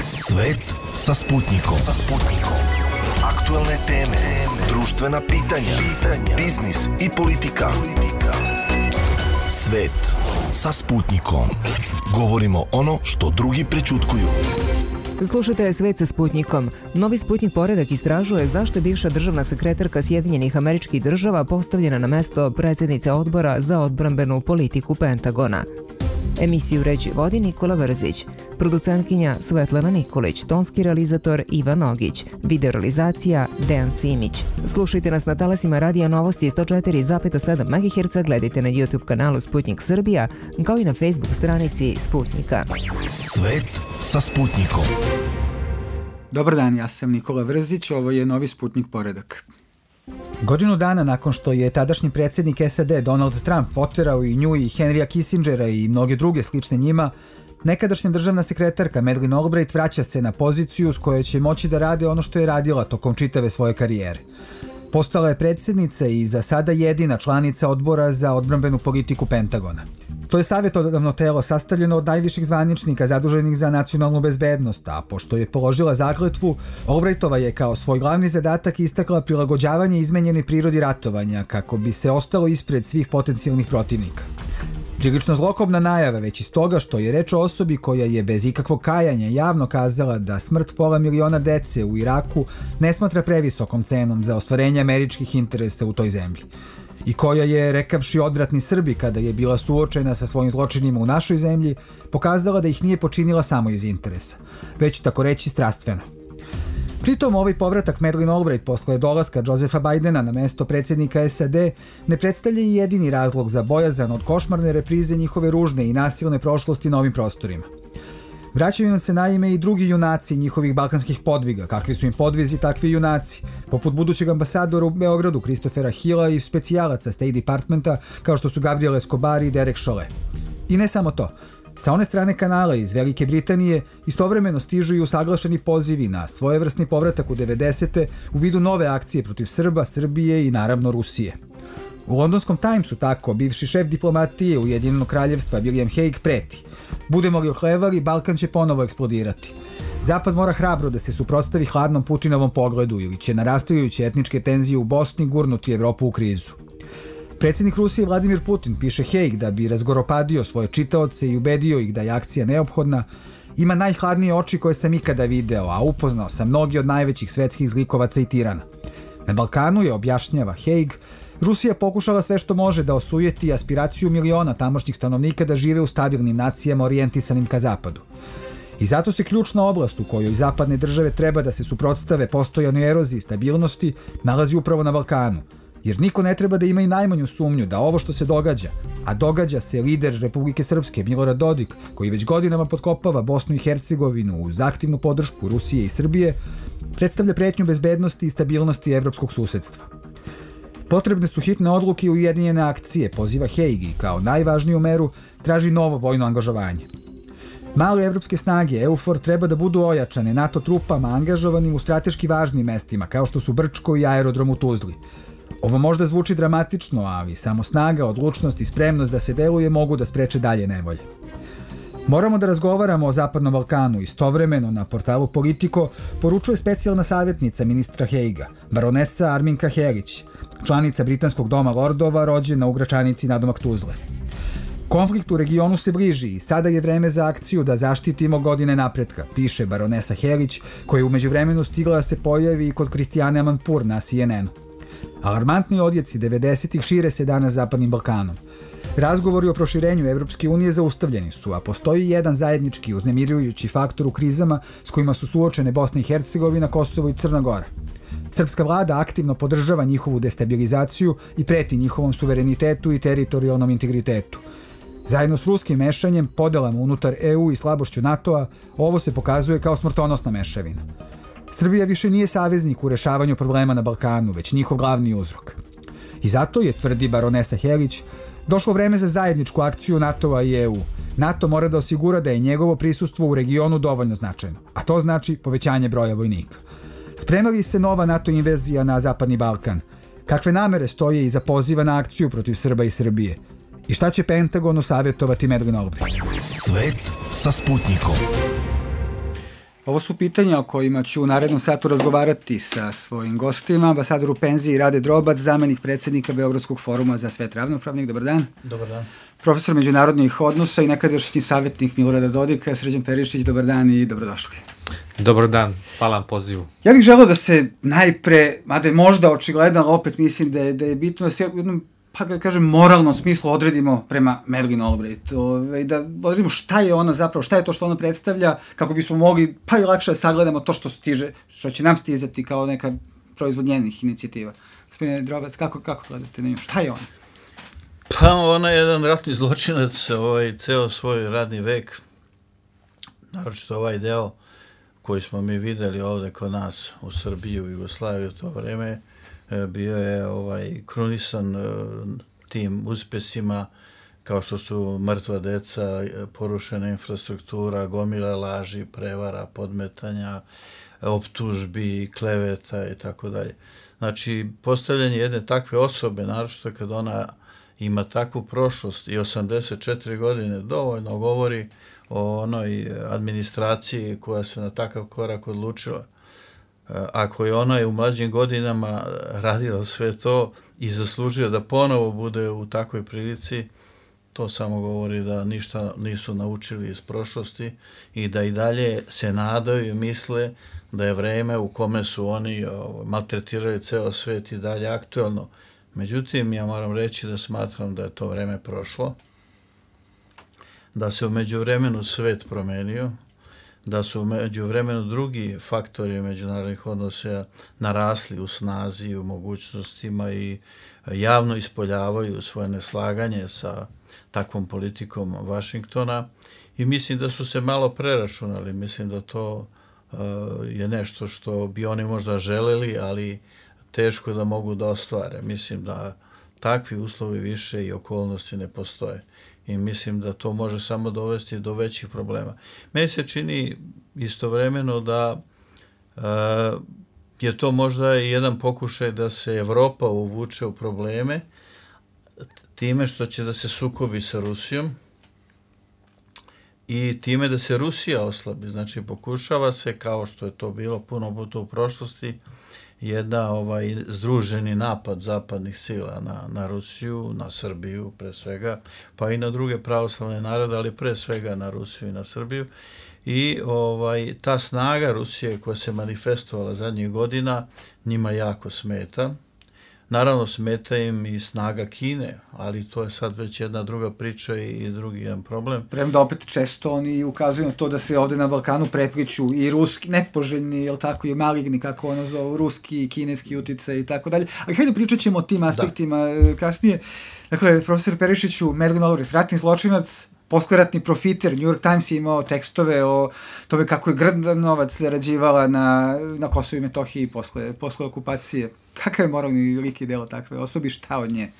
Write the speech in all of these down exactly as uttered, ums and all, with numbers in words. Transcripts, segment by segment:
Svet sa Sputnikom. Sa Sputnikom. Aktuelne teme, društvena pitanja, pitanja, biznis i politika. politika. Svet sa Sputnikom. Govorimo ono što drugi prećutkuju. Slušajte Svet sa Sputnikom. Novi Sputnik poredak istražuje zašto je bivša državna sekretarka Sjedinjenih Američkih Država postavljena na mesto predsjednice odbora za odbrambenu politiku Pentagona. Emisiju ređi vodi Nikola Vrzić, producentkinja Svetlana Nikolić, tonski realizator Ivan Nogić, videorealizacija Dejan Simić. Slušajte nas na talasima Radija Novosti sto četiri zarez sedam megaherca, gledajte na YouTube kanalu Sputnik Srbija, kao i na Facebook stranici Sputnika. Svet sa Sputnikom. Dobar dan, ja sam Nikola Vrzić, ovo je Novi Sputnik poredak. Godinu dana nakon što je tadašnji predsjednik S A D Donald Trump poterao i nju i Henrya Kissingera i mnoge druge slične njima, nekadašnja državna sekretarka Madeleine Albright vraća se na poziciju s kojoj će moći da rade ono što je radila tokom čitave svoje karijere. Postala je predsjednica i za sada jedina članica odbora za odbrambenu politiku Pentagona. To je savjetodavno telo sastavljeno od najviših zvaničnika zaduženih za nacionalnu bezbednost, a pošto je položila zakletvu, Albrightova je kao svoj glavni zadatak istakla prilagođavanje izmenjenoj prirodi ratovanja kako bi se ostalo ispred svih potencijalnih protivnika. Prilično zlokobna najava već iz toga što je reč o osobi koja je bez ikakvog kajanja javno kazala da smrt pola miliona dece u Iraku ne smatra previsokom cenom za ostvarenje američkih interesa u toj zemlji. I koja je, rekavši odvratni Srbi kada je bila suočena sa svojim zločinima u našoj zemlji, pokazala da ih nije počinila samo iz interesa, već tako reći strastveno. Pritom ovaj povratak Madeleine Albright posle dolaska Josepha Bidena na mesto predsjednika S A D ne predstavlja i jedini razlog za bojazan od košmarne reprize njihove ružne i nasilne prošlosti na ovim prostorima. Vraćaju nam se naime i drugi junaci njihovih balkanskih podviga, kakvi su im podvizi takvi junaci, poput budućeg ambasadora u Beogradu Christophera Hilla i specijalaca State Departmenta kao što su Gabriel Escobar i Derek Chauvin. I ne samo to. Sa one strane kanala iz Velike Britanije istovremeno stižu i usaglašeni pozivi na svojevrsni povratak u devedesete u vidu nove akcije protiv Srba, Srbije i naravno Rusije. U londonskom Timesu tako bivši šef diplomatije Ujedinjenog kraljevstva William Hague preti: budemo li ohlevali, Balkan će ponovo eksplodirati. Zapad mora hrabro da se suprotstavi hladnom Putinovom pogledu ili će narastajuće etničke tenzije u Bosni gurnuti Evropu u krizu. Predsjednik Rusije Vladimir Putin, piše Hague, da bi razgoropadio svoje čitaoce i ubedio ih da je akcija neophodna, ima najhladnije oči koje sam ikada video, a upoznao sam mnogi od najvećih svetskih zlikovaca i tirana. Na Balkanu je, objašnjava Hague, Rusija pokušala sve što može da osujeti aspiraciju miliona tamošnjih stanovnika da žive u stabilnim nacijama orijentisanim ka zapadu. I zato se ključna oblast u kojoj zapadne države treba da se suprotstave postojanoj eroziji stabilnosti nalazi upravo na Balkanu, jer niko ne treba da ima i najmanju sumnju da ovo što se događa, a događa se lider Republike Srpske Milorad Dodik, koji već godinama potkopava Bosnu i Hercegovinu uz aktivnu podršku Rusije i Srbije, predstavlja pretnju bezbednosti i stabilnosti evropskog susedstva. Potrebne su hitne odluke i ujedinjene akcije, poziva Hague, i kao najvažniju meru traži novo vojno angažovanje. Male evropske snage EUFOR treba da budu ojačane NATO trupama angažovanim u strateški važnim mestima kao što su Brčko i aerodrom u Tuzli. Ovo možda zvuči dramatično, ali samo snaga, odlučnost i spremnost da se deluje mogu da spreče dalje nevolje. Moramo da razgovaramo o Zapadnom Balkanu. Istovremeno na portalu Politico poručuje specijalna savjetnica ministra Hagea, baronesa Arminka Herić, članica Britanskog doma lordova, rođena u Gračanici nadomak Tuzle. Konflikt u regionu se bliži i sada je vreme za akciju da zaštitimo godine napretka, piše baronesa Herić, koja je u međuvremenu stigla da se pojavi i kod Kristijane Amanpour na C N N-u. Alarmantni odjeci devedesetih šire se danas Zapadnim Balkanom. Razgovori o proširenju Evropske unije zaustavljeni su, a postoji jedan zajednički uznemirujući faktor u krizama s kojima su suočene Bosna i Hercegovina, Kosovo i Crna Gora. Srpska vlada aktivno podržava njihovu destabilizaciju i preti njihovom suverenitetu i teritorijalnom integritetu. Zajedno s ruskim mešanjem, podelama unutar E U i slabošću NATO-a, ovo se pokazuje kao smrtonosna mešavina. Srbija više nije saveznik u rešavanju problema na Balkanu, već njihov glavni uzrok. I zato je, tvrdi baronesa Helić, došlo vreme za zajedničku akciju NATO-a i E U. NATO mora da osigura da je njegovo prisustvo u regionu dovoljno značajno, a to znači povećanje broja vojnika. Sprema li se nova NATO invazija na Zapadni Balkan? Kakve namere stoje iza poziva na akciju protiv Srba i Srbije? I šta će Pentagonu savjetovati Madeleine Albright? Svet sa Sputnikom. Ovo su pitanja o kojima ću u narednom satu razgovarati sa svojim gostima. Ambasador u penziji Rade Drobac, zamenik predsjednika Beogradskog foruma za svet ravnopravnih. Dobar dan. Dobar dan. Profesor međunarodnih odnosa i nekadašnji savjetnik Milorada Dodika, Srđan Perišić. Dobar dan i dobrodošli. Dobar dan, hvala vam pozivu. Ja bih želeo da se najpre, mada je možda očigledno, ali opet mislim da je, da je bitno da se u jednom, pa ga kažem, moralnom smislu odredimo prema Madeleine Albright. Ove, da odredimo šta je ona zapravo, šta je to što ona predstavlja, kako bismo mogli pa i lakše da sagledamo to što stiže, što će nam stizati kao neka proizvod njenih inicijativa. Gospodine Drobac, kako, kako gledate na nju? Šta je ona? Pa ona je jedan ratni zločinac, ovaj, ceo svoj radni vek, naročito ovaj deo koji smo mi videli ovde kod nas u Srbiji, u Jugoslaviji u to vreme, bio je ovaj krunisan tim uspesima kao što su mrtva deca, porušena infrastruktura, gomila laži, prevara, podmetanja, optužbi, kleveta i tako dalje. Znači, postavljanje jedne takve osobe, naročito kad ona ima takvu prošlost i osamdeset četiri godine, dovoljno govori o onoj administraciji koja se na takav korak odlučila. Ako je ona u mlađim godinama radila sve to i zaslužila da ponovo bude u takvoj prilici, to samo govori da ništa nisu naučili iz prošlosti i da i dalje se nadaju i misle da je vreme u kome su oni maltretirali ceo svet i dalje aktuelno. Međutim, ja moram reći da smatram da je to vreme prošlo, da se u međuvremenu svet promenio, da su među vremenu drugi faktori međunarodnih odnosa narasli u snazi, u mogućnostima i javno ispoljavaju svoje neslaganje sa takvom politikom Vašingtona i mislim da su se malo preračunali. Mislim da to uh, je nešto što bi oni možda želeli, ali teško da mogu da ostvare. Mislim da takvi uslovi više i okolnosti ne postoje. I mislim da to može samo dovesti do većih problema. Meni se čini istovremeno da uh, je to možda i jedan pokušaj da se Evropa uvuče u probleme time što će da se sukobi sa Rusijom i time da se Rusija oslabi. Znači, pokušava se, kao što je to bilo puno puta u prošlosti, jedna ovaj združeni napad zapadnih sila na, na Rusiju, na Srbiju pre svega, pa i na druge pravoslavne narode, ali pre svega na Rusiju i na Srbiju. I ovaj ta snaga Rusije koja se manifestovala zadnjih godina njima jako smeta. Naravno, smeta im i snaga Kine, ali to je sad već jedna druga priča i drugi jedan problem. Premda opet često oni ukazuju na to da se ovde na Balkanu prepliču i ruski, nepoželjni, jel tako, i maligni, kako ono zovu, ruski i kineski uticaj i tako dalje. Ali hajde pričat ćemo o tim aspektima da. kasnije. Dakle, profesor Perišiću, Madeleine Albright, ratni zločinac, poskleratni profiter, New York Times je imao tekstove o tome kako je grdan novac zarađivala na, na Kosovu i Metohiji posle, posle okupacije. Kakav je moralni lik i delo takve osobi, šta od nje?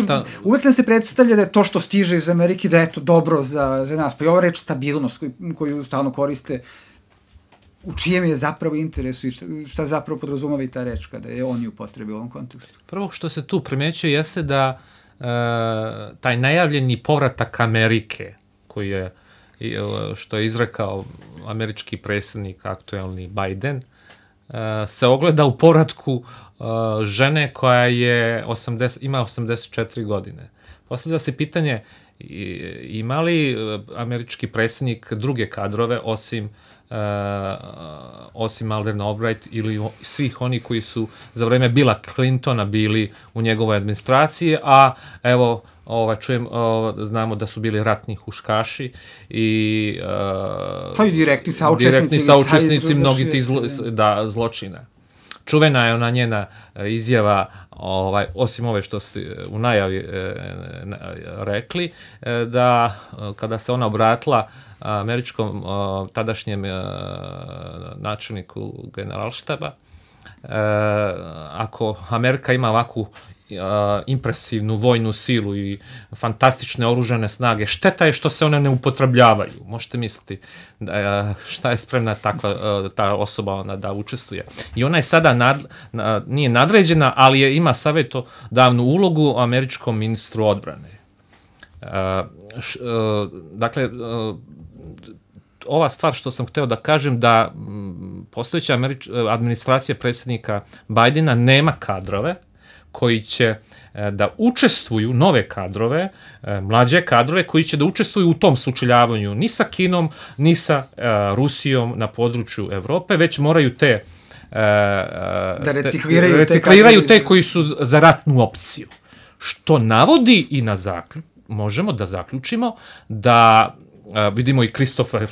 Šta? Uvek nam se predstavlja da je to što stiže iz Amerike, da je to dobro za, za nas. Pa i ova reč stabilnost koju, koju stalno koriste, u čijem je zapravo interesu i šta, šta zapravo podrazumava i ta reč kada je on ju upotrebi u ovom kontekstu? Prvo što se tu primećuje jeste da Uh, taj najavljeni povratak Amerike, koji je, što je izrekao američki predsjednik aktuelni Biden, uh, se ogleda u povratku uh, žene koja je osamdeset, ima osamdeset četiri godine. Postavlja se pitanje, ima li američki predsjednik druge kadrove osim Uh, osim Madeleine Albright ili svih oni koji su za vreme Billa Clintona bili u njegovoj administraciji, a evo ovaj, čujem, ovaj, znamo da su bili ratni huškaši i uh, pa i direktni saučesnici, direktni saučesnici mnogi tih zlo, da, zločina. Čuvena je ona njena izjava, ovaj, osim ove što ste u najavi e, rekli, e, da kada se ona obratila američkom o, tadašnjem e, načelniku generalštaba, e, ako Amerika ima ovakvu impresivnu vojnu silu i fantastične oružane snage, šteta je što se one ne upotrebljavaju. Možete misliti da, šta je spremna takva ta osoba ona da učestvuje. I ona je sada nad, nije nadređena, ali je, ima savjetodavnu ulogu američkom ministru odbrane. Dakle, ova stvar što sam hteo da kažem, da postojeća Američ, administracija predsjednika Bajdena nema kadrove koji će da učestvuju, nove kadrove, mlađe kadrove koji će da učestvuju u tom sučeljavanju ni sa Kinom, ni sa Rusijom na području Evrope, već moraju te da recikliraju, te, recikliraju te koji su za ratnu opciju. Što navodi i na zaključ, možemo da zaključimo da vidimo i Christopher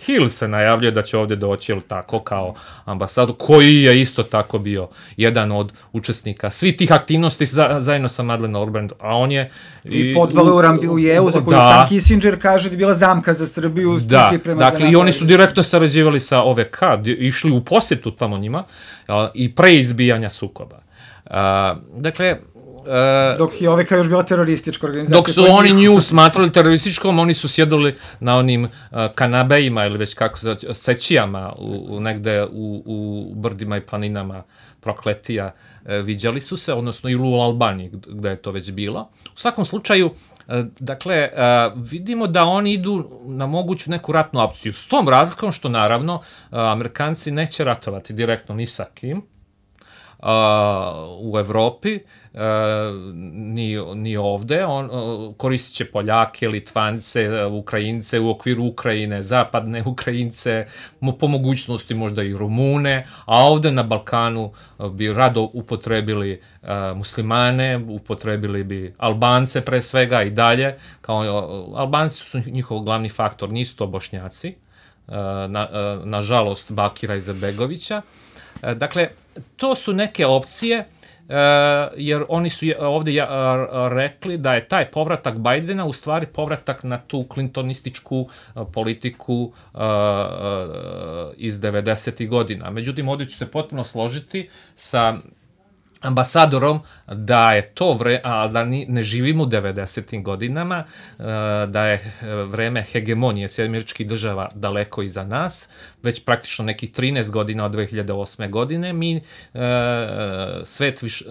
Hill se najavljuje da će ovdje doći, jel tako, kao ambasador, koji je isto tako bio jedan od učesnika svi tih aktivnosti za, zajedno sa Madeleine Albright, a on je... I, i podvale u Rambijevu, za koju da, sam Kissinger kaže da je bila zamka za Srbiju. Da, dakle, i oni su direktno sarađivali sa O V K, išli u posjetu tamo njima, i pre izbijanja sukoba. Uh, dakle, Uh, dok je O V K još bila teroristička organizacija. Dok su oni nju smatrali terorističkom, oni su sjedili na onim uh, kanabejima ili već kako se sećijama u, u negde u, u brdima i planinama Prokletija. Uh, viđali su se, odnosno ili u Albaniji gde je to već bilo. U svakom slučaju, uh, dakle, uh, vidimo da oni idu na moguću neku ratnu opciju. S tom razlikom što naravno uh, Amerikanci neće ratovati direktno ni sa kim uh, u Evropi, Uh, ni, ni ovde, on uh, koristit će Poljake, Litvance, Ukrajince u okviru Ukrajine, zapadne Ukrajince, po mogućnosti možda i Rumune, a ovde na Balkanu uh, bi rado upotrebili uh, muslimane, upotrebili bi Albance pre svega i dalje, kao uh, Albanci su njihov glavni faktor, nisu to Bošnjaci, uh, na, uh, nažalost Bakira Izetbegovića. Uh, dakle, to su neke opcije. Uh, jer oni su ovdje uh, rekli da je taj povratak Bajdena u stvari povratak na tu klintonističku uh, politiku uh, uh, iz devedesetih godina. Međutim, ovdje ću se potpuno složiti sa ambasadorom da je to vreme, a da ni, ne živimo u devedesetim godinama, da je vreme hegemonije Sjedinjenih Američkih Država daleko iza nas, već praktično nekih trinaest godina od dve hiljade osme godine, mi svet viš,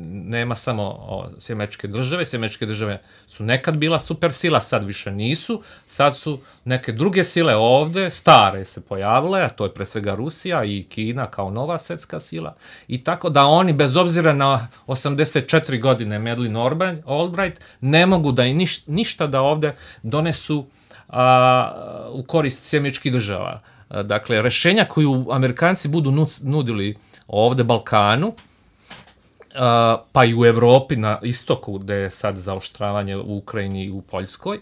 nema samo Sjedinjene Američke Države, Sjedinjene Američke Države su nekad bila supersila, sad više nisu, sad su neke druge sile ovde, stare se pojavile, a to je pre svega Rusija i Kina kao nova svetska sila, i tako da oni, bez obzira na osamdeset četiri godine Madeleine Albright, ne mogu da i niš, ništa da ovde donesu a, u korist Sjedinjenih Američkih Država. A, dakle, rešenja koju Amerikanci budu nudili ovde Balkanu, a, pa i u Evropi na istoku, gde je sad zaoštravanje u Ukrajini i u Poljskoj,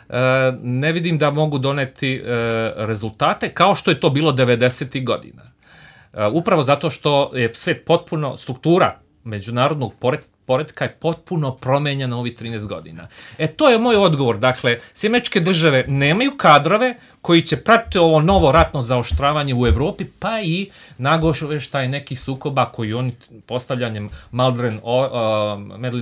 a, ne vidim da mogu doneti a, rezultate kao što je to bilo devedesetih godina. Uh, upravo zato što je svet potpuno, struktura međunarodnog poretka je potpuno promenjena ovih trinaest godina. E, to je moj odgovor. Dakle, Sjedinjene Američke Države nemaju kadrove koji će pratiti ovo novo ratno zaoštravanje u Evropi, pa i nagoveštaj nekih sukoba koji oni postavljanjem Madeleine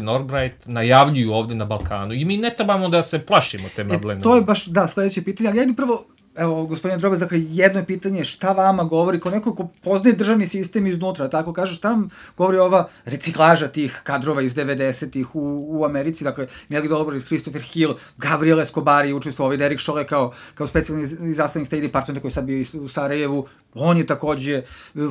uh, Albright najavljuju ovde na Balkanu. I mi ne trebamo da se plašimo te Madeleine. E, to je baš, da, sledeće pitanje, ali ja prvo, evo, gospodine Drobec, dakle, jedno je pitanje šta vama govori, kao neko ko poznaje državni sistem iznutra, tako kaže, šta vam govori ova reciklaža tih kadrova iz devedesetih u, u Americi, dakle, Madeleine Albright, Christopher Hill, Gabriel Escobar je učestvovao, ovaj Derek Chollet kao, kao specijalni izaslanik State Departmenta koji je sad bio u Sarajevu, on je takođe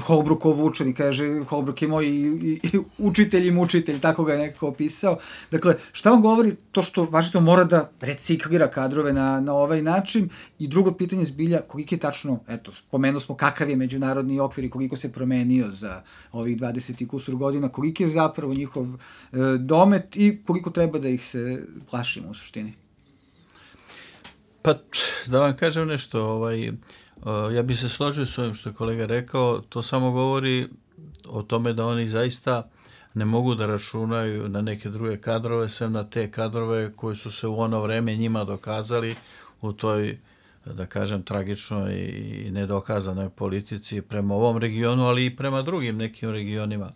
Holbrookov učenik, kaže, Holbrook je moj i, i, i učitelj i mučitelj, tako ga je nekako opisao. Dakle, šta vam govori to što Washington mora da reciklira kadrove na, na ovaj način? I drugo pitanje zbilja, koliko je tačno, eto, spomenuo smo kakav je međunarodni okvir i koliko se promenio za ovih dvadeset i kusur godina, koliko je zapravo njihov e, domet i koliko treba da ih se plašimo u suštini? Pa, da vam kažem nešto, ovaj... ja bih se složio s ovim što je kolega rekao, to samo govori o tome da oni zaista ne mogu da računaju na neke druge kadrove, sem na te kadrove koji su se u ono vreme njima dokazali u toj, da kažem, tragičnoj i nedokazanoj politici prema ovom regionu, ali i prema drugim nekim regionima.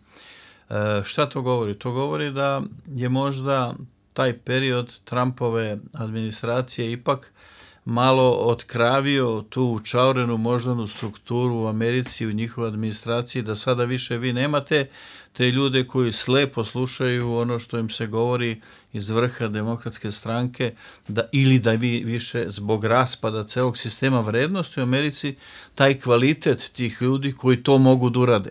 E, šta to govori? To govori da je možda taj period Trumpove administracije ipak malo otkravio tu učaurenu moždanu strukturu u Americi, u njihovoj administraciji, da sada više vi nemate te ljude koji slepo slušaju ono što im se govori iz vrha demokratske stranke, da, ili da vi više zbog raspada celog sistema vrednosti u Americi, taj kvalitet tih ljudi koji to mogu da urade.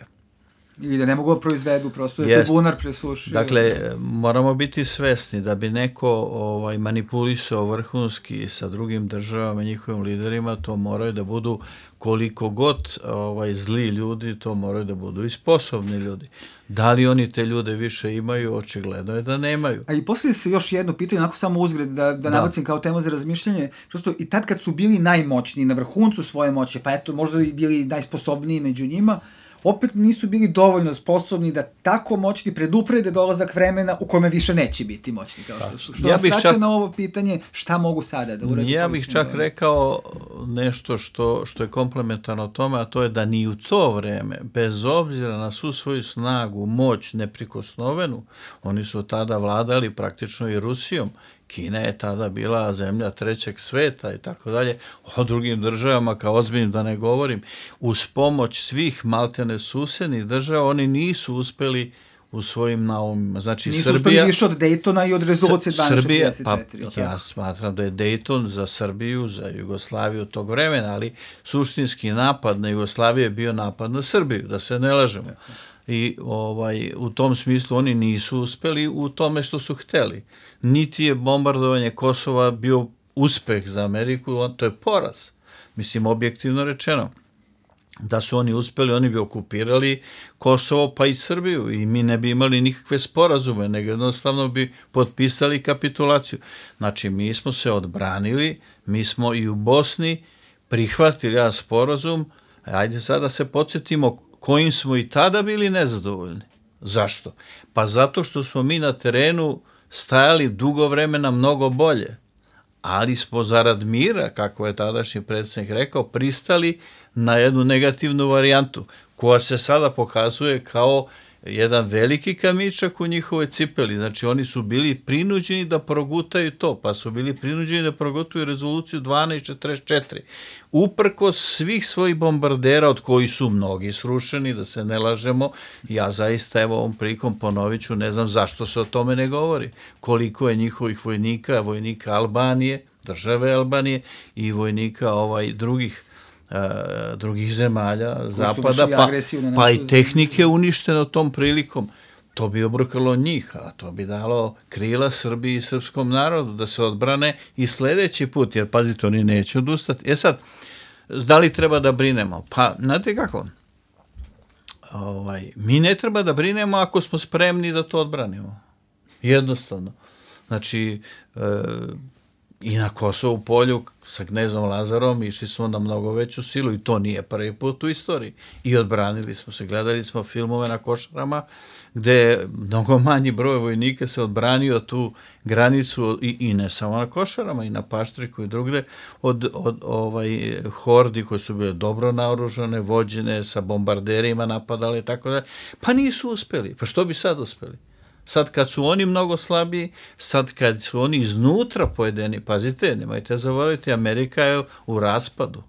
Ili da ne mogu proizvedu, prosto je to bunar presušio. Dakle, moramo biti svesni da bi neko ovaj, manipulisao vrhunski sa drugim državama, njihovim liderima, to moraju da budu koliko god ovaj, zli ljudi, to moraju da budu i sposobni ljudi. Da li oni te ljude više imaju, očigledno je da nemaju. A i poslije se još jedno pitanje, onako samo uzgred, da, da nabacim kao temu za razmišljanje, prosto i tad kad su bili najmoćniji, na vrhuncu svoje moći, pa eto, možda i bili najsposobniji među njima, opet nisu bili dovoljno sposobni da tako moćni preduprede dolazak vremena u kome više neće biti moćni. Kao što, što ja bih čak na ovo pitanje šta mogu sada da urade. Ja bih čak dobro. rekao nešto što, što je komplementarno tome, a to je da ni u to vreme, bez obzira na svu svoju snagu, moć, neprikosnovenu, oni su tada vladali praktično i Rusijom. Kina je tada bila zemlja trećeg sveta i tako dalje, o drugim državama kao ozbiljnim da ne govorim, uz pomoć svih maltene susednih država oni nisu uspeli u svojim naumima. Znači, nisu Srbija, uspeli više od Dejtona i od rezolucije dvanaest šezdeset četiri. Pa, ja smatram da je Dejton za Srbiju, za Jugoslaviju tog vremena, ali suštinski napad na Jugoslaviju je bio napad na Srbiju, da se ne lažemo. I ovaj, u tom smislu oni nisu uspeli u tome što su hteli. Niti je bombardovanje Kosova bio uspeh za Ameriku, on, to je poraz. Mislim, objektivno rečeno. Da su oni uspeli, oni bi okupirali Kosovo pa i Srbiju i mi ne bi imali nikakve sporazume, nego jednostavno bi potpisali kapitulaciju. Znači, mi smo se odbranili, mi smo i u Bosni prihvatili jedan sporazum, ajde sada se podsjetimo kojim smo i tada bili nezadovoljni. Zašto? Pa zato što smo mi na terenu stajali dugo vremena mnogo bolje, ali smo zarad mira, kako je tadašnji predsjednik rekao, pristali na jednu negativnu varijantu, koja se sada pokazuje kao jedan veliki kamičak u njihovoj cipeli. Znači, oni su bili prinuđeni da progutaju to, pa su bili prinuđeni da progutaju rezoluciju dvanaest četrdeset četiri. Uprkos svih svojih bombardera, od kojih su mnogi srušeni, da se ne lažemo, ja zaista, evo ovom prilikom ponovit ću, ne znam zašto se o tome ne govori. Koliko je njihovih vojnika, vojnika Albanije, države Albanije i vojnika ovaj drugih Uh, drugih zemalja, koji zapada, pa, pa i tehnike uništeno tom prilikom. To bi obrukalo njih, a to bi dalo krila Srbiji i srpskom narodu da se odbrane i sljedeći put, jer pazite, oni neće odustati. E sad, da li treba da brinemo? Pa, znate kako? Ovaj, mi ne treba da brinemo ako smo spremni da to odbranimo. Jednostavno. Znači, uh, i na Kosovu polju sa knezom Lazarom išli smo na mnogo veću silu i to nije prvi put u istoriji. I odbranili smo se. Gledali smo filmove na Košarama gde mnogo manji broj vojnika se odbranio tu granicu i, i ne samo na Košarama, i na Paštriku i drugde od, od ovaj, hordi koje su bile dobro naoružane, vođene sa bombarderima, napadale i tako da. Pa nisu uspeli. Pa što bi sad uspeli? Sad kad su oni mnogo slabiji, sad kad su oni iznutra pojedeni, pazite, nemojte zaboraviti, Amerika je u raspadu.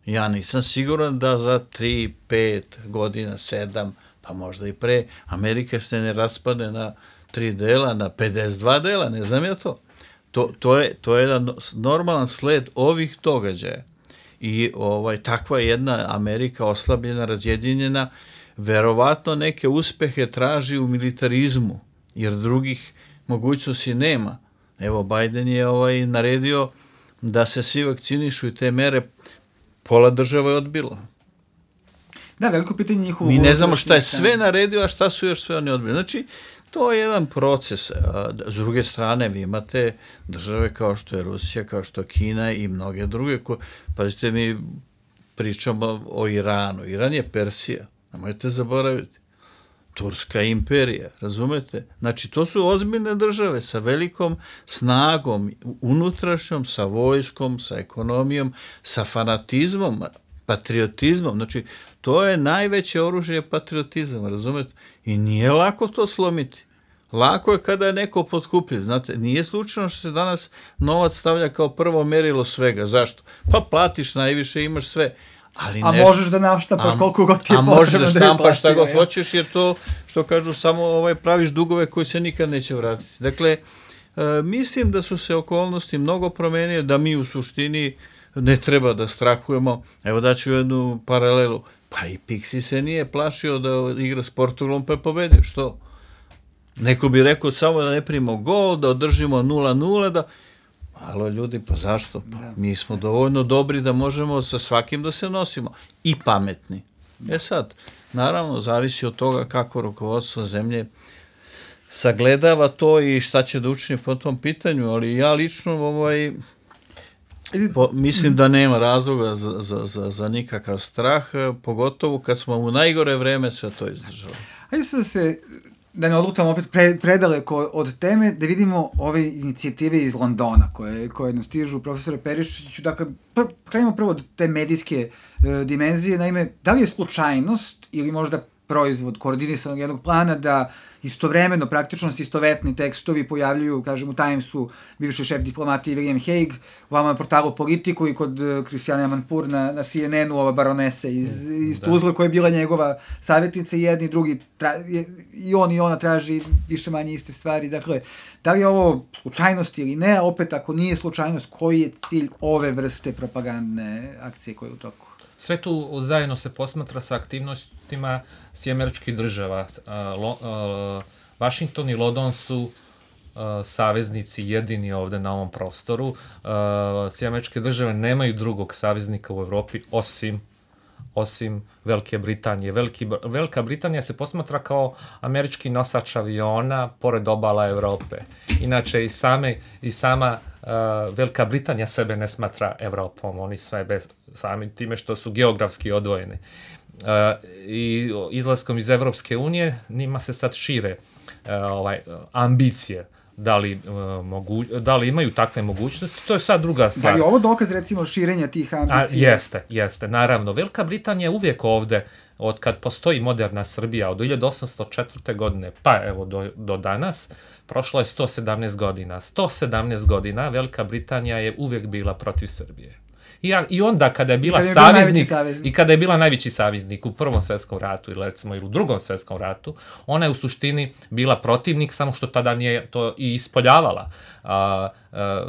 Ja nisam siguran da za tri, pet godina, sedam, pa možda i pre, Amerika se ne raspade na tri dela, na pedeset dva dela, ne znam ja to. To, to, je, to je jedan normalan sled ovih događaja. I ovaj, takva jedna Amerika oslabljena, razjedinjena, verovatno neke uspehe traži u militarizmu, jer drugih mogućnosti nema. Evo, Biden je ovaj naredio da se svi vakcinišu i te mere pola država je odbilo. Da, veliko pitanje njihovo... Mi ne znamo šta je sve naredio, a šta su još sve oni odbili. Znači, to je jedan proces. S druge strane, vi imate države kao što je Rusija, kao što je Kina i mnoge druge. Ko... Pazite, mi pričamo o Iranu. Iran je Persija. Nemojte zaboraviti. Turska imperija, razumete? Znači, to su ozbiljne države sa velikom snagom, unutrašnjom, sa vojskom, sa ekonomijom, sa fanatizmom, patriotizmom. Znači, to je najveće oružje patriotizam, razumete? I nije lako to slomiti. Lako je kada je neko potkupljiv. Znate, nije slučajno što se danas novac stavlja kao prvo merilo svega. Zašto? Pa platiš najviše, imaš sve. Ali a neš... možeš da naštapaš koliko god ti je potrebno. A možeš da štampaš šta god ja. hoćeš, jer to, što kažu, samo ovaj, praviš dugove koji se nikad neće vratiti. Dakle, e, mislim da su se okolnosti mnogo promenile, da mi u suštini ne treba da strahujemo. Evo daću jednu paralelu. Pa i Pixi se nije plašio da igra s Portugalom pa je pobedio. Što? Neko bi rekao samo da ne primimo gol, da održimo nula nula, da... Alo ljudi, pa zašto? Pa mi smo dovoljno dobri da možemo sa svakim da se nosimo. I pametni. E sad, naravno, zavisi od toga kako rukovodstvo zemlje sagledava to i šta će da učini po tom pitanju, ali ja lično ovaj, po, mislim da nema razloga za, za, za, za nikakav strah, pogotovo kad smo u najgore vreme sve to izdržali. Ajde sad se... da ne odlutamo opet pre, predaleko od teme, da vidimo ove inicijative iz Londona koje, koje nas stižu, profesore Perišiću. Dakle, pr krenimo prvo od te medijske e, dimenzije. Naime, da li je slučajnost ili možda proizvod koordinisanog jednog plana da istovremeno, praktično se istovetni tekstovi pojavljuju, kažem, u Timesu bivši šef diplomatije William Hague, u vama na portalu Politiku i kod Christiane Amanpour na, na C N N-u, ova baronesa iz, iz Tuzle koja je bila njegova savjetnica i jedni drugi, tra, i on i ona traži više manje iste stvari. Dakle, da li je ovo slučajnost ili ne, a opet ako nije slučajnost, koji je cilj ove vrste propagandne akcije koje je u toku? Sve tu zajedno se posmatra sa aktivnostima Sjedinjenih Američkih Država. Washington i London su saveznici jedini ovde na ovom prostoru. Sjedinjene Američke Države nemaju drugog saveznika u Evropi osim osim Velike Britanije. Veliki, Velika Britanija se posmatra kao američki nosač aviona pored obala Evrope. Inače, i, same, i sama uh, Velika Britanija sebe ne smatra Evropom. Oni sve bez, sami time što su geografski odvojeni. Uh, I izlaskom iz Evropske unije njima se sad šire uh, ovaj, ambicije. Da li, uh, mogu, da li imaju takve mogućnosti, to je sad druga stvar. Da li je ovo dokaz, recimo, širenja tih ambicija? A, jeste, jeste, naravno. Velika Britanija je uvijek ovde, od kad postoji moderna Srbija, od hiljadu osamsto četvrte. godine, pa evo do, do danas, prošlo je sto sedamnaest godina. sto sedamnaest godina Velika Britanija je uvijek bila protiv Srbije. I, ja, i onda kada je bila I kada je saveznik, saveznik i kada je bila najveći saveznik u Prvom svjetskom ratu ili recimo ili u Drugom svjetskom ratu, ona je u suštini bila protivnik, samo što tada nije to i ispoljavala. A, a,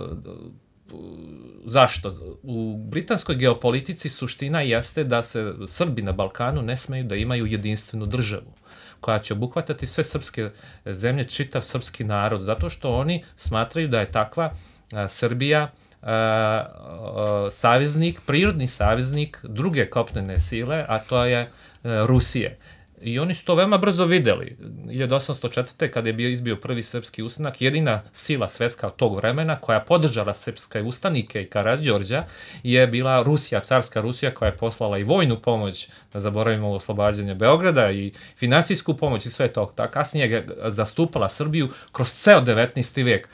zašto? U britanskoj geopolitici suština jeste da se Srbi na Balkanu ne smeju da imaju jedinstvenu državu koja će obuhvatati sve srpske zemlje, čitav srpski narod, zato što oni smatraju da je takva a, Srbija Uh, uh, saveznik, prirodni saveznik druge kopnene sile, a to je uh, Rusije. I oni su to veoma brzo videli. hiljadu osamsto četvrte. kada je bio izbio prvi srpski ustanak, jedina sila svetska od tog vremena koja podržala srpske ustanike i Karađorđa je bila Rusija, carska Rusija, koja je poslala i vojnu pomoć, da zaboravimo oslobađanje Beograda, i finansijsku pomoć i sve to. Ta kasnije je zastupala Srbiju kroz ceo devetnaesti. vek.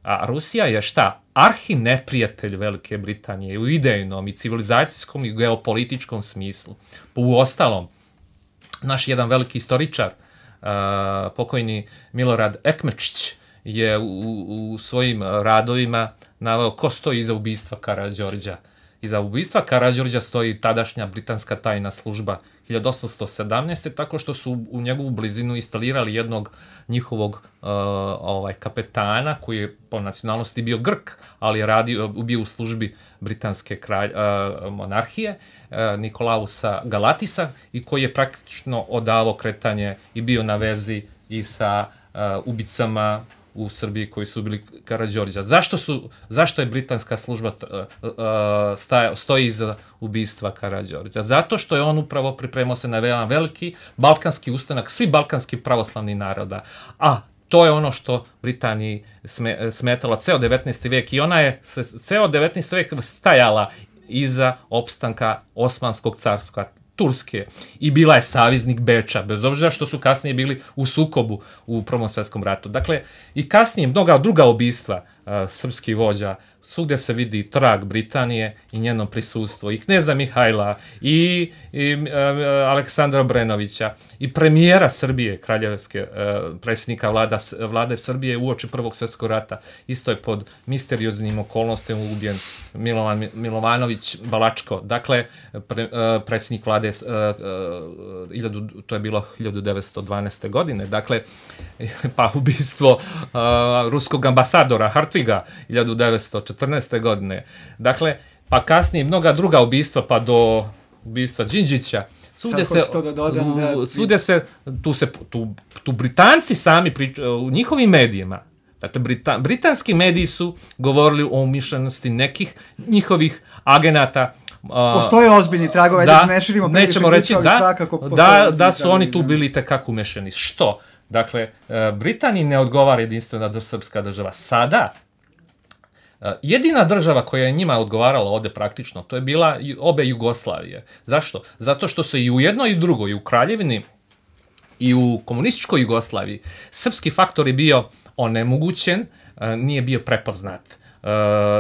A Rusija je šta? Arhi neprijatelj Velike Britanije u idejnom i civilizacijskom i geopolitičkom smislu. U ostalom, naš jedan veliki istoričar, uh, pokojni Milorad Ekmečić, je u, u svojim radovima naveo ko stoji iza ubistva Karađorđa. Iza ubistva Karađorđa stoji tadašnja britanska tajna služba hiljadu osamsto sedamnaeste. tako što su u njegovu blizinu instalirali jednog njihovog uh, ovaj, kapetana, koji je po nacionalnosti bio Grk, ali je radio, bio u službi britanske kralj, uh, monarhije, uh, Nikolausa Galatisa, i koji je praktično odavao kretanje i bio na vezi i sa uh, ubicama u Srbiji koji su bili Karađorđa. Zašto su, zašto je britanska služba uh, uh, staja, stoji iza ubistva Karađorđa? Zato što je on upravo pripremao se na veoma veliki balkanski ustanak svih balkanskih pravoslavnih naroda. A to je ono što Britaniji sme, smetalo ceo devetnaesti. vek, i ona je ceo devetnaesti. vek stajala iza opstanka Osmanskog carstva, Turske, i bila je saveznik Beča, bez obzira što su kasnije bili u sukobu u Prvom svjetskom ratu. Dakle, i kasnije mnoga druga ubistva, srpski vođa, svugdje se vidi trag Britanije i njeno prisustvo, i kneza Mihajla, i, i uh, Aleksandra Obrenovića, i premijera Srbije, kraljevske, uh, predsjednika vlada, vlade Srbije uoči Prvog svjetskog rata. Isto je pod misterioznim okolnostima ubijen Milovan Milovanović Balačko. Dakle, pre, uh, predsjednik vlade, uh, uh, iljadu, to je bilo hiljadu devetsto dvanaeste. godine, dakle, pa ubistvo uh, ruskog ambasadora Hartviga hiljadu devetsto četrnaeste. godine. Dakle, pa kasnije mnoga druga ubistva, pa do ubistva Đinđića. Svugdje se, da dodam, da... svugdje se, tu se, tu, tu Britanci sami pričaju, u njihovim medijima, dakle, Brita, britanski mediji su govorili o umišljenosti nekih njihovih agenata. Uh, postoje ozbiljni tragovi, da, ne širimo nećemo reći, priča, da, svakako da, da su oni tu bili tekako umešani. Što? Dakle, Britaniji ne odgovara jedinstvena srpska država. Sada, jedina država koja je njima odgovarala ovdje praktično, to je bila obe Jugoslavije. Zašto? Zato što se i u jednoj i u drugoj, i u Kraljevini i u komunističkoj Jugoslaviji, srpski faktor je bio onemogućen, nije bio prepoznat. Uh,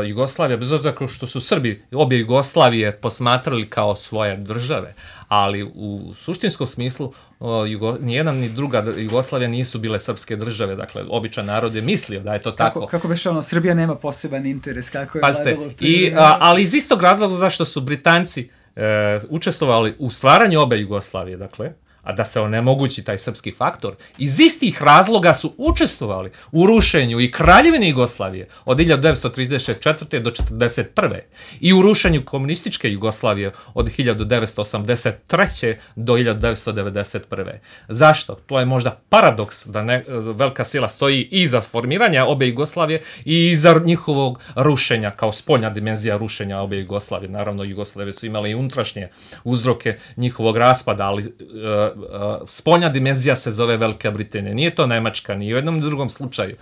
Jugoslavija, bez obzira što su Srbi obje Jugoslavije posmatrali kao svoje države, ali u suštinskom smislu uh, Jugo, nijedan ni druga Jugoslavija nisu bile srpske države, dakle običan narod je mislio da je to tako. Kako, kako beš ono, Srbija nema poseban interes, kako je Pazite, vladalo... I, a, ali iz istog razloga zašto su Britanci uh, učestvovali u stvaranju obe Jugoslavije, dakle, a da se onemogući taj srpski faktor, iz istih razloga su učestvovali u rušenju i Kraljevine Jugoslavije od hiljadu devetsto trideset četvrte. do četrdeset prve. i u rušenju komunističke Jugoslavije od hiljadu devetsto osamdeset treće. do hiljadu devetsto devedeset prve. Zašto? To je možda paradoks da ne, velika sila stoji iza formiranja obe Jugoslavije i iza njihovog rušenja, kao spoljna dimenzija rušenja obe Jugoslavije. Naravno, Jugoslavije su imale i unutrašnje uzroke njihovog raspada, ali uh, Uh, spoljna dimenzija se zove Velika Britanija. Nije to Nemačka, ni u jednom ni drugom slučaju.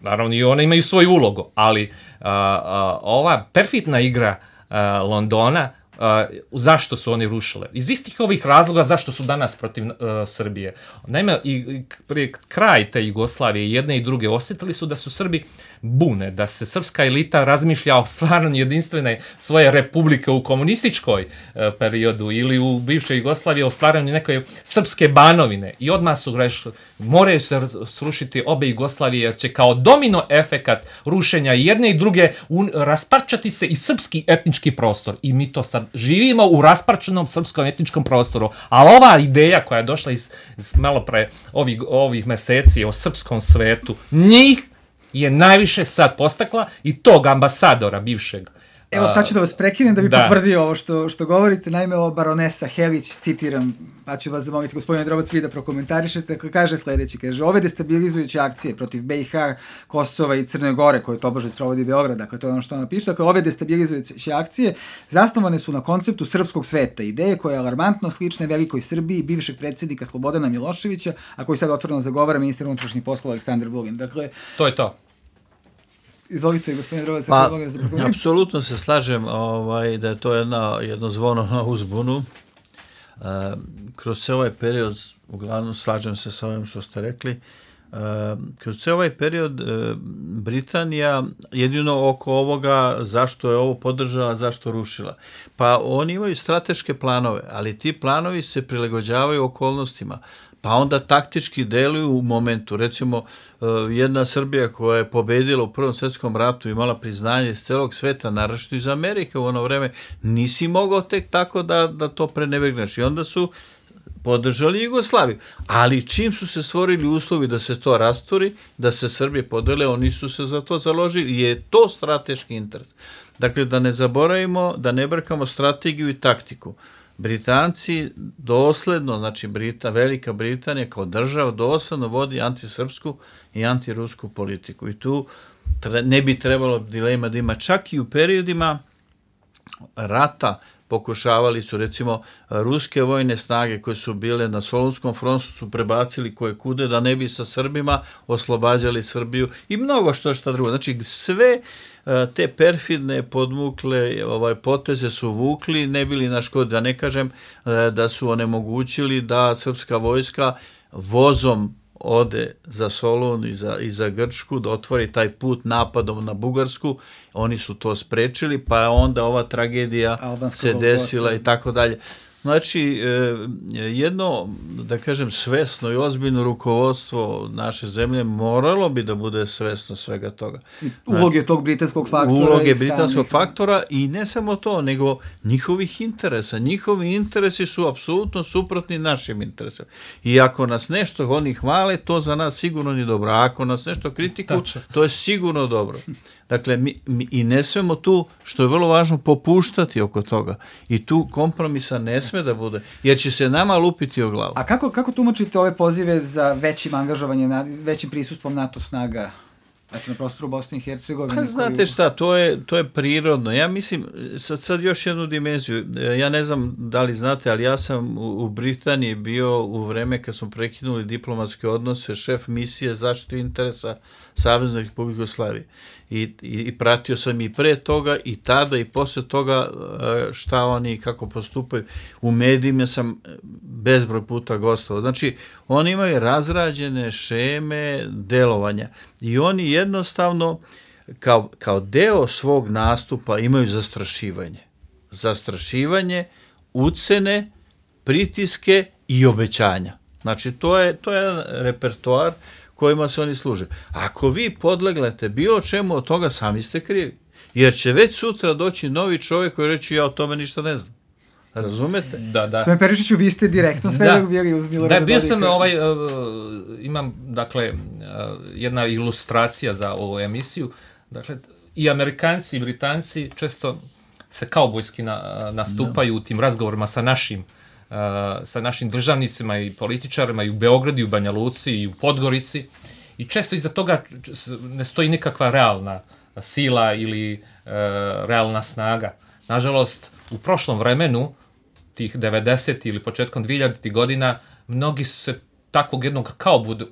Naravno, i one imaju svoju ulogu, ali uh, uh, ova perfidna igra uh, Londona, uh, zašto su oni rušile? Iz istih ovih razloga zašto su danas protiv uh, Srbije. Naime, i, i prije kraj te Jugoslavije, jedne i druge, osjetili su da su Srbi bune, da se srpska elita razmišlja o stvarno jedinstvene svoje republike u komunističkoj e, periodu ili u bivšoj Jugoslaviji o stvaranju neke srpske banovine. I odmah su rešili, moraju se srušiti obe Jugoslavije jer će kao domino efekat rušenja jedne i druge un, rasparčati se i srpski etnički prostor. I mi to sad živimo u rasparčenom srpskom etničkom prostoru. Ali ova ideja koja je došla iz, iz malo pre ovih, ovih meseci o srpskom svetu, njih je najviše sad postakla i tog ambasadora bivšeg. Evo sad ću da vas prekinem da bi da. potvrdio ovo što, što govorite. Naime, ovo baronesa Helić, citiram, pa ću vas zamoliti, gospodine Drobac, vi da prokomentarišete, kaže sljedeći, kaže, ove destabilizujuće akcije protiv B i H, Kosova i Crne Gore, koje tobože sprovodi Beograd, dakle, to je ono što ona piše, dakle, ove destabilizujuće akcije zasnovane su na konceptu srpskog sveta, ideje koje je alarmantno slične velikoj Srbiji, bivšeg predsjednika Slobodana Miloševića, a koji sad otvoreno zagovara ministar unutrašnjih poslova Aleksandar Vulin. Dakle, to je to. Izvolite, gospodine Drovac. Pa, apsolutno se slažem ovaj, da je to jedna, jedno zvono na uzbunu. E, kroz se ovaj period, uglavnom slažem se sa ovim što ste rekli, e, kroz se ovaj period e, Britanija jedino oko ovoga zašto je ovo podržala, zašto rušila. Pa oni imaju strateške planove, ali ti planovi se prilagođavaju okolnostima. Pa onda taktički deluju u momentu. Recimo, jedna Srbija koja je pobedila u Prvom svjetskom ratu i imala priznanje iz celog sveta, naročito iz Amerike u ono vreme, nisi mogao tek tako da, da to prenebegneš. I onda su podržali Jugoslaviju. Ali čim su se stvorili uslovi da se to rasturi, da se Srbije podele, oni su se za to založili. Je to strateški interes. Dakle, da ne zaboravimo, da ne brkamo strategiju i taktiku. Britanci dosledno, znači Brita, Velika Britanija kao država dosledno vodi antisrpsku i antirusku politiku. I tu tre, ne bi trebalo dilema da ima. Čak i u periodima rata pokušavali su, recimo, ruske vojne snage koje su bile na Solunskom frontu su prebacili koje kude da ne bi sa Srbima oslobađali Srbiju i mnogo što šta drugo. Znači sve te perfidne podmukle ovaj, poteze su vukli, ne bili na škodi, da ne kažem da su onemogućili da srpska vojska vozom ode za Solun i za, i za Grčku, da otvori taj put napadom na Bugarsku, oni su to sprečili, pa je onda ova tragedija Albansko se desila i tako dalje. Znači, jedno, da kažem, svesno i ozbiljno rukovodstvo naše zemlje moralo bi da bude svesno svega toga. Uloge tog britanskog faktora. Uloge britanskog faktora i ne samo to, nego njihovih interesa. Njihovi interesi su apsolutno suprotni našim interesima. I ako nas nešto oni hvale, to za nas sigurno nije dobro. A ako nas nešto kritikuju, to je sigurno dobro. Dakle, mi, mi i ne smemo tu, što je vrlo važno, popuštati oko toga. I tu kompromisa ne sme da bude, jer će se nama lupiti o glavu. A kako, kako tumačite ove pozive za većim angažovanjem, većim prisustvom NATO snaga na prostoru Bosne i Hercegovine? Pa znate šta, to je, to je prirodno. Ja mislim, sad, sad još jednu dimenziju, ja ne znam da li znate, ali ja sam u, u Britaniji bio u vreme kad smo prekinuli diplomatske odnose, šef misije zaštitu interesa Savezne Republike Jugoslavije. I, i, i pratio sam i pre toga i tada i posle toga šta oni i kako postupaju. U medijima sam bezbroj puta gostovao. Znači, oni imaju razrađene šeme delovanja i oni jednostavno kao, kao deo svog nastupa imaju zastrašivanje. Zastrašivanje, ucene, pritiske i obećanja. Znači, to je, to je jedan repertoar kojima se oni služe. Ako vi podleglete bilo čemu od toga, sami ste krivi. Jer će već sutra doći novi čovjek koji reći ja o tome ništa ne znam. Razumete? Da, da. Sve Perišiću, vi ste direktno sve da. bili uz Milorada Dodika. Da, bio sam, ovaj, uh, imam, dakle, uh, jedna ilustracija za ovu emisiju. Dakle, i Amerikanci i Britanci često se kaubojski na, nastupaju no. u tim razgovorima sa našim Uh, sa našim državnicima i političarima i u Beogradu, i u Banja Luci, i u Podgorici. I često iza toga ne stoji nikakva realna sila ili uh, realna snaga. Nažalost, u prošlom vremenu, tih devedesetih ili početkom dvihiljaditih godina, mnogi su se takvog jednog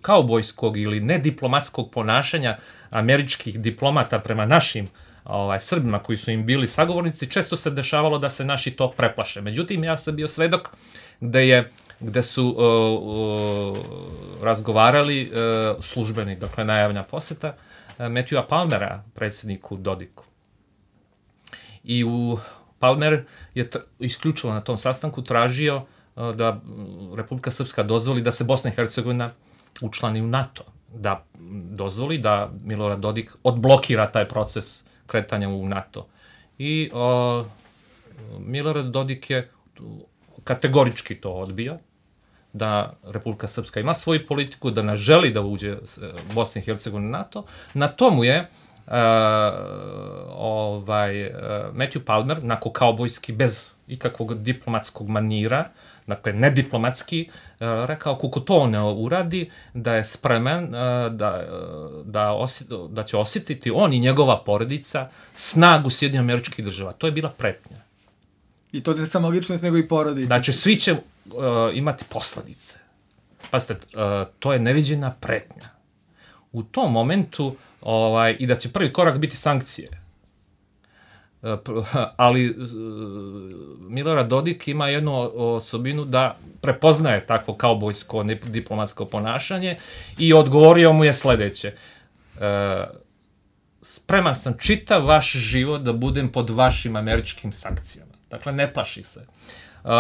kaubojskog ili nediplomatskog ponašanja američkih diplomata prema našim ovaj, Srbima koji su im bili sagovornici, često se dešavalo da se naši to preplaše. Međutim, ja sam bio svedok gde, je, gde su uh, uh, razgovarali uh, službeni, dakle najavljena poseta, uh, Matthewa Palmera, predsjedniku Dodiku. I u Palmer je t- isključivo na tom sastanku tražio uh, da Republika Srpska dozvoli da se Bosna i Hercegovina učlani u NATO, da dozvoli da Milorad Dodik odblokira taj proces kretanja u NATO. I uh, Milorad Dodik je kategorički to odbio, da Republika Srpska ima svoju politiku, da ne želi da uđe Bosna i Hercegovina u NATO. Na tomu je uh, ovaj, uh, Matthew Palmer, onako kaubojski, bez ikakvog diplomatskog manira, dakle nediplomatski, uh, rekao kako to on ne uradi, da je spreman, uh, da, uh, da, osjet, da će osjetiti on i njegova porodica snagu Sjedinjenih Američkih Država. To je bila pretnja. I to ne samo ličnost, nego i porodica. Znači, svi će uh, imati posledice. Pazite, uh, to je neviđena pretnja. U tom momentu, ovaj, i da će prvi korak biti sankcije. Uh, ali uh, Milorad Dodik ima jednu osobinu da prepoznaje takvo kaubojsko diplomatsko ponašanje i odgovorio mu je sledeće. Uh, spreman sam čitav vaš život da budem pod vašim američkim sankcijama. Dakle, ne plaši se. Uh,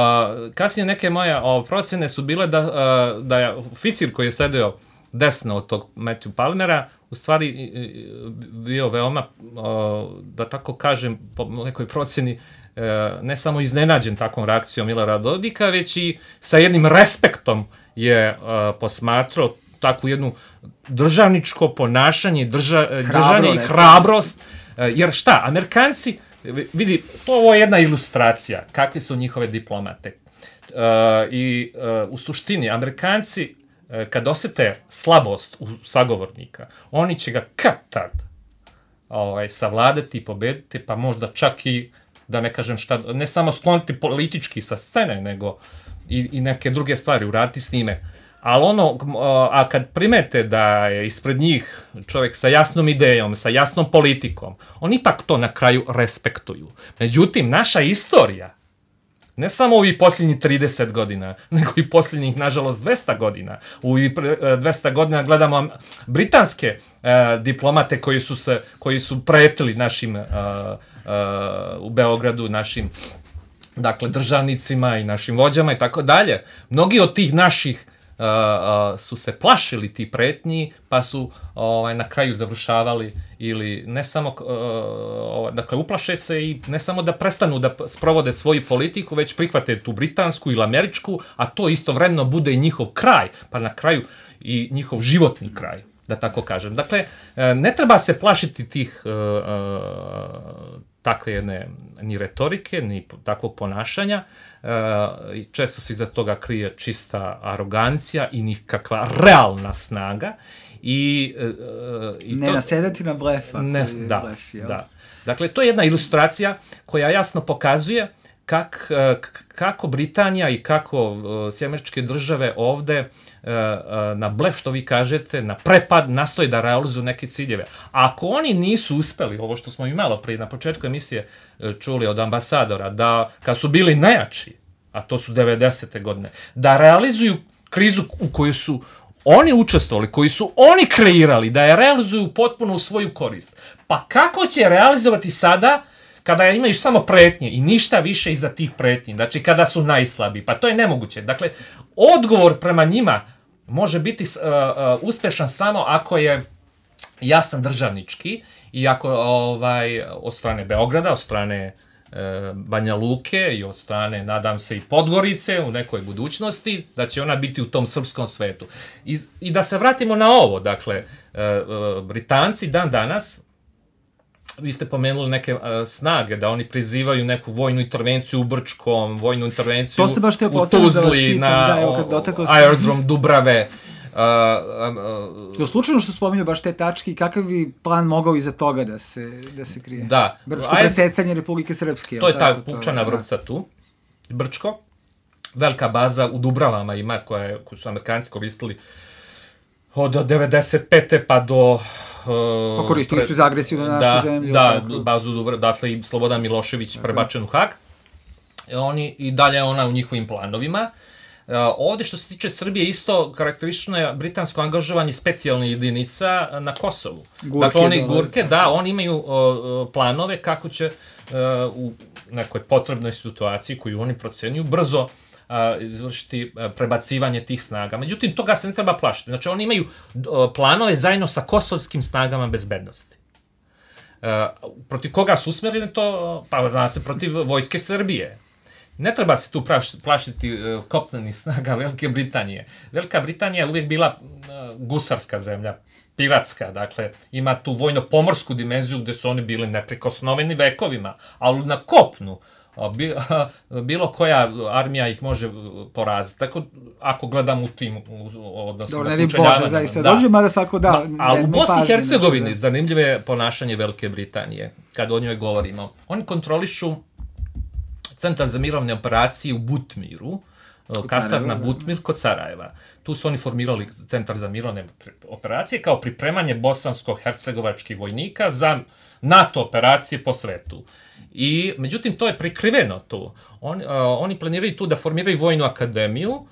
kasnije neke moje o, procene su bile da, uh, da je oficir koji je sedeo desno od tog Matthew Palmera u stvari bio veoma, uh, da tako kažem, po nekoj proceni, uh, ne samo iznenađen takvom reakcijom Milorada Dodika, već i sa jednim respektom je uh, posmatrao takvu jednu državničko ponašanje, drža, držanje i hrabrost. Uh, jer šta, Amerikanci, vidi, to ovo je jedna ilustracija kakve su njihove diplomate. Uh, I uh, u suštini, Amerikanci, uh, kad osete slabost u sagovornika, oni će ga kad tad ovaj, savladati i pobediti, pa možda čak i, da ne kažem šta, ne samo skloniti politički sa scene, nego i, i neke druge stvari uraditi s njime. Ali ono, a kad primete da je ispred njih čovjek sa jasnom idejom, sa jasnom politikom, oni ipak to na kraju respektuju. Međutim, naša istorija Ne samo ovih posljednjih trideset godina, nego i posljednjih, nažalost, dvesta godina. U dvesta godina gledamo britanske uh, diplomate koji su, se, koji su pretili našim, uh, uh, u Beogradu, našim dakle, državnicima i našim vođama i tako dalje. Mnogi od tih naših Uh, uh, su se plašili ti pretnji, pa su ovaj, na kraju završavali ili ne samo, uh, dakle, uplaše se i ne samo da prestanu da sprovode svoju politiku, već prihvate tu britansku ili američku, a to istovremeno bude i njihov kraj, pa na kraju i njihov životni kraj, da tako kažem. Dakle, ne treba se plašiti tih uh, uh, takve jedne ni retorike, ni takvog ponašanja. Uh, često se iza toga krije čista arogancija i nikakva realna snaga. I, uh, i ne to, nasedati na blefa. Ne, da, blef, da. Dakle, to je jedna ilustracija koja jasno pokazuje kak, kako Britanija i kako Sjedinjene Američke Države ovde na blef, što vi kažete, na prepad nastoji da realizuju neke ciljeve. A ako oni nisu uspeli, ovo što smo i malo prije na početku emisije čuli od ambasadora, da kad su bili najjači, a to su devedesete godine, da realizuju krizu u kojoj su oni učestvovali, koji su oni kreirali, da je realizuju potpuno u svoju korist. Pa kako će realizovati sada kada imaju samo pretnje i ništa više iza tih pretnji, znači kada su najslabiji, pa to je nemoguće. Dakle, odgovor prema njima može biti uh, uh, uspešan samo ako je jasan državnički i ako ovaj, od strane Beograda, od strane uh, Banja Luke i od strane, nadam se, i Podgorice u nekoj budućnosti, da će ona biti u tom srpskom svetu. I, i da se vratimo na ovo, dakle, uh, uh, Britanci dan danas, vi ste pomenuli neke uh, snage, da oni prizivaju neku vojnu intervenciju u Brčkom, vojnu intervenciju u Tuzli, da na da, evo, aerodrom Dubrave. Uh, uh, uh, slučajno što spominju baš te tačke i kakav bi plan mogao iza toga da se, da se krije? Da. Brčko Aj, presecanje Republike Srpske. To je ta pučana vrpca tu, Brčko. Velika baza u Dubravama ima, koja je, koju su Amerikanci koristili od devedeset pete pa do... Uh, pa koristili pre... su za agresiju na našu da, zemlju. Da, tako. Bazu Dubrava, dakle i Slobodan Milošević prebačen u Hag. Oni, i dalje ona u njihovim planovima. Uh, ovde što se tiče Srbije isto karakteristično je britansko angažovanje specijalnih jedinica na Kosovu. Gurke, dakle, oni gurke, da, oni imaju uh, planove kako će uh, u nekoj potrebnoj situaciji koju oni procenjuju brzo uh, izvršiti uh, prebacivanje tih snaga. Međutim, toga se ne treba plašiti. Znači, oni imaju uh, planove zajedno sa kosovskim snagama bezbednosti. Uh, protiv koga su usmjereni to? Pa zna se protiv vojske Srbije. Ne treba se tu plašiti uh, kopnenih snaga Velike Britanije. Velika Britanija je uvijek bila uh, gusarska zemlja, piratska, dakle, ima tu vojno-pomorsku dimenziju gde su oni bili neprikosnoveni vekovima, ali na kopnu uh, bi, uh, bilo koja armija ih može poraziti. Tako, ako gledam u tim odnosima slučajavanja. Zaista, da. Dođe, mada svako da. Ma, ali u Bosni i Hercegovini zanimljivo je ponašanje Velike Britanije, kad o njoj govorimo. Oni kontrolišu Centar za mirovne operacije u Butmiru, kasarna Butmir kod Sarajeva. Tu su oni formirali Centar za mirovne operacije kao pripremanje bosansko-hercegovačkih vojnika za NATO operacije po svetu. I, međutim, to je prikriveno tu. On, uh, oni planiraju tu da formiraju vojnu akademiju uh,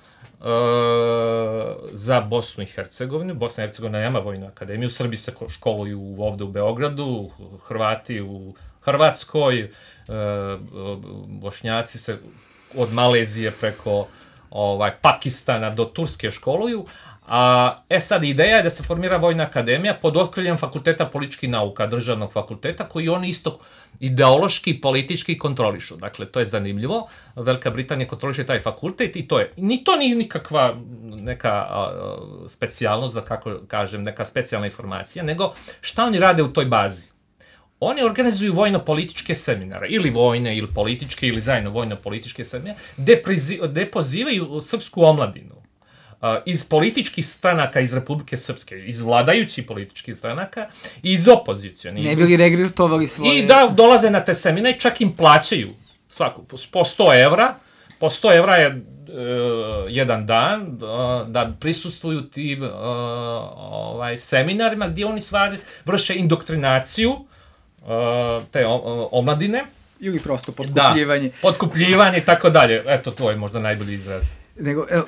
za Bosnu i Hercegovinu. Bosna i Hercegovina nema vojnu akademiju. Srbi se školuju ovde u Beogradu, Hrvati u Hrvatskoj, Bošnjaci se od Malezije preko ovaj, Pakistana do Turske školuju. A, e sad, ideja je da se formira vojna akademija pod okriljem Fakulteta političkih nauka, državnog fakulteta, koji oni isto ideološki i politički kontrolišu. Dakle, to je zanimljivo. Velika Britanija kontroliše taj fakultet i to je. Ni to nije nikakva neka a, specijalnost, da kako kažem, neka specijalna informacija, nego šta oni rade u toj bazi. Oni organizuju vojno-političke seminare, ili vojne, ili političke, ili zajedno vojno-političke seminare, gde, prizi, gde pozivaju srpsku omladinu uh, iz političkih stranaka iz Republike Srpske, iz vladajućih političkih stranaka i iz opozicijonih. Ne bi li regrutovali svoje... I da dolaze na te seminare, čak im plaćaju svaku, po sto evra, po sto evra je uh, jedan dan uh, da prisustvuju tim uh, ovaj, seminarima gdje oni stvari vrše indoktrinaciju te omladine. Ili prosto potkupljivanje. Da, potkupljivanje i tako dalje. Eto, to je možda najbolji izraz. Nego, evo,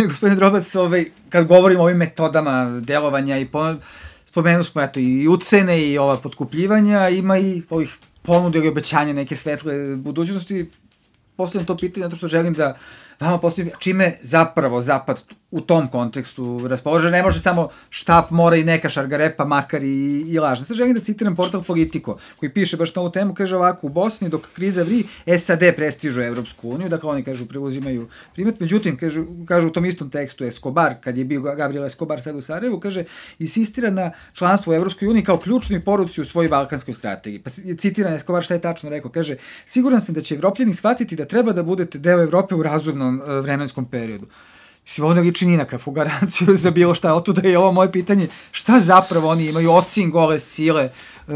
gospodin Drobac, ovaj, kad govorimo o ovim metodama delovanja i pon... spomenuli smo eto, i ucene i ova potkupljivanja, ima i ovih ponude ili obećanja neke svetle budućnosti. Postavljam to pitanje zato što želim da vama postavim čime zapravo Zapad u tom kontekstu raspolože. Ne može samo štap, mora i neka šargarepa, makar i, i lažna. Sad želim da citiram portal Politico, koji piše baš na ovu temu, kaže ovako: u Bosni dok kriza vri, S A D prestižu Evropsku uniju, dakle oni kažu preuzimaju primet, međutim, kažu, kažu u tom istom tekstu Escobar, kad je bio Gabriel Escobar sad u Sarajevu, kaže, insistira na članstvu u Evropskoj uniji kao ključnoj poruci u svojoj balkanskoj strategiji. Pa citiram Escobar šta je tačno rekao, kaže: siguran sam da će Evropljani shvatiti da treba da budete deo Evrope u razumnom uh, vremenskom periodu. Mislim, ovo ne liči ni nakav garanciju za bilo šta, ali tuda je ovo moje pitanje, šta zapravo oni imaju osim gole sile uh,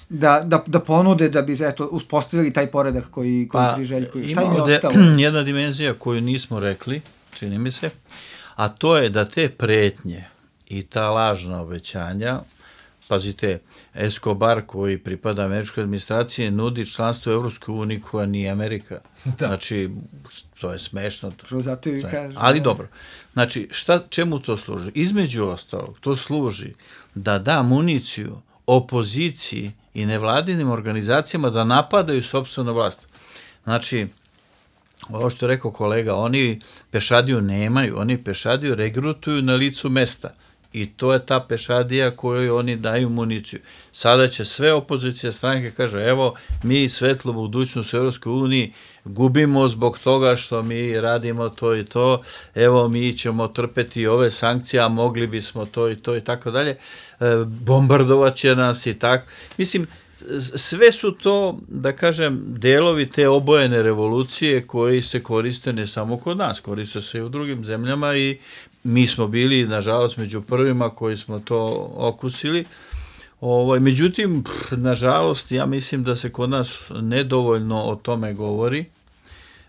da, da, da ponude da bi eto, uspostavili taj poredak koji, koji pa, priželjkuju. Šta im je ostalo? Jedna dimenzija koju nismo rekli, čini mi se, a to je da te pretnje i ta lažna obećanja, pazite, Escobar koji pripada američkoj administraciji nudi članstvo u Evropskoj uniji koja nije Amerika. Da. Znači, to je smešno. To. Zato i kažem. Ali dobro. Znači, šta, čemu to služi? Između ostalog, to služi da da municiju opoziciji i nevladinim organizacijama da napadaju sopstvenu vlast. Znači, ovo što je rekao kolega, oni pešadiju nemaju, oni pešadiju regrutuju na licu mesta. I to je ta pešadija kojoj oni daju municiju. Sada će sve opozicije stranke kaže, evo, mi svetlu budućnost u Europskoj uniji gubimo zbog toga što mi radimo to i to, evo, mi ćemo trpeti ove sankcije, a mogli bismo to i to i tako dalje, bombardovat će nas i tako. Mislim, sve su to, da kažem, delovi te obojene revolucije koji se koriste ne samo kod nas, koriste se i u drugim zemljama i mi smo bili, nažalost, među prvima koji smo to okusili. Ovaj, međutim, nažalost, ja mislim da se kod nas nedovoljno o tome govori.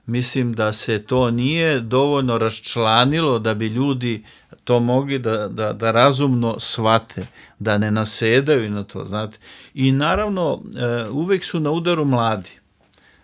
Mislim da se to nije dovoljno raščlanilo da bi ljudi to mogli da, da, da razumno shvate, da ne nasedaju na to, znate. I naravno, uvek su na udaru mladi.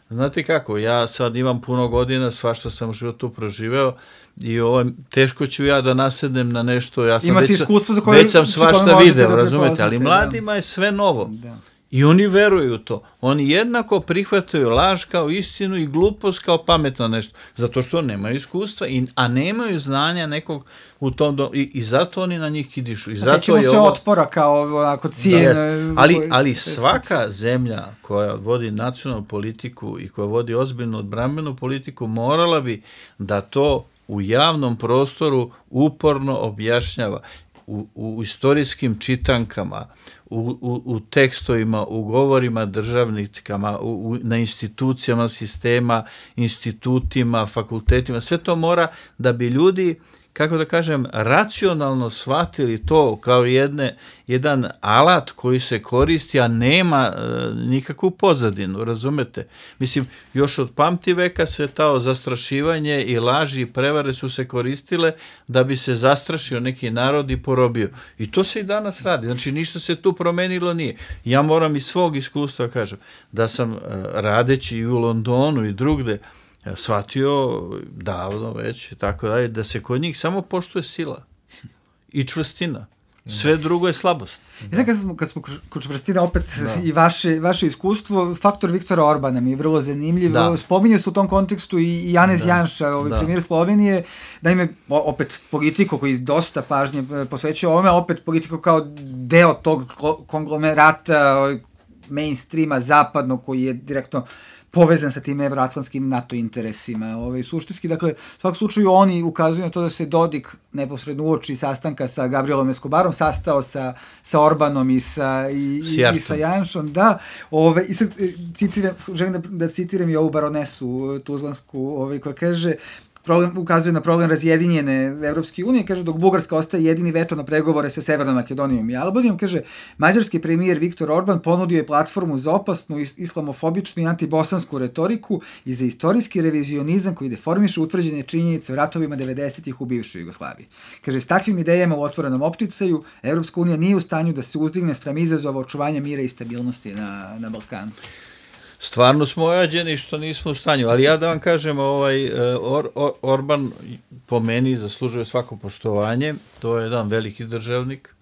Znate kako, ja sad imam puno godina, svašta sam u životu proživeo i ovo, teško ću ja da nasednem na nešto, ja sam već, za koje, već sam svašta video, da razumete, ali mladima da. Je sve novo. Da. I oni veruju u to. Oni jednako prihvataju laž kao istinu i glupost kao pametno nešto. Zato što nemaju iskustva, i, a nemaju znanja nekog u tom do, i, i zato oni na njih kidišu. I zato sećamo je se ovo, otpora kao onako cijen. Da, ali, ali svaka zemlja koja vodi nacionalnu politiku i koja vodi ozbiljnu odbrambenu politiku morala bi da to u javnom prostoru uporno objašnjava. U, u istorijskim čitankama, u, u, u tekstovima, u govorima državnicama, u, u, na institucijama sistema, institutima, fakultetima, sve to mora da bi ljudi, kako da kažem, racionalno shvatili to kao jedne, jedan alat koji se koristi, a nema e, nikakvu pozadinu, razumete? Mislim, još od pamti veka se to zastrašivanje i laži i prevare su se koristile da bi se zastrašio neki narod i porobio. I to se i danas radi. Znači, ništa se tu promenilo nije. Ja moram iz svog iskustva kažem da sam e, radeći i u Londonu i drugde shvatio davno već, tako dalje, da se kod njih samo poštuje sila i čvrstina. Sve drugo je slabost. I sad kad smo, kad smo kod čvrstina, opet da. I vaše, vaše iskustvo, faktor Viktora Orbana mi je vrlo zanimljiv. Da. Spominje se u tom kontekstu i Janez da. Janša, ovaj da. Premijer Slovenije, da ime, opet Politico koji dosta pažnje posvećuje ovome, opet Politico kao deo tog konglomerata mainstreama zapadnog koji je direktno povezan sa tim evroatlantskim NATO interesima. Ovaj, suštinski, dakle, u svakom slučaju oni ukazuju na to da se Dodik neposredno uoči sastanka sa Gabrielom Escobarom sastao sa, sa Orbanom i sa, i, i sa Janšom. Da, ovaj, i sad citiram, želim da, da citiram i ovu baronesu tuzlansku, ovaj, koja kaže, problem, ukazuje na problem razjedinjene Evropske unije, kaže, dok Bugarska ostaje jedini veto na pregovore sa Severnom Makedonijom i Albanijom, kaže, mađarski premijer Viktor Orban ponudio je platformu za opasnu, islamofobičnu i antibosansku retoriku i za istorijski revizionizam koji deformiše utvrđene činjenice o ratovima devedesetih u bivšoj Jugoslaviji. Kaže, s takvim idejama u otvorenom opticaju Evropska unija nije u stanju da se uzdigne spram izazova očuvanja mira i stabilnosti na, na Balkanu. stvarno smo ojađeni što nismo u stanju, ali ja da vam kažem, ovaj, Or, Or, Orban po meni zaslužuje svako poštovanje, to je jedan veliki državnik.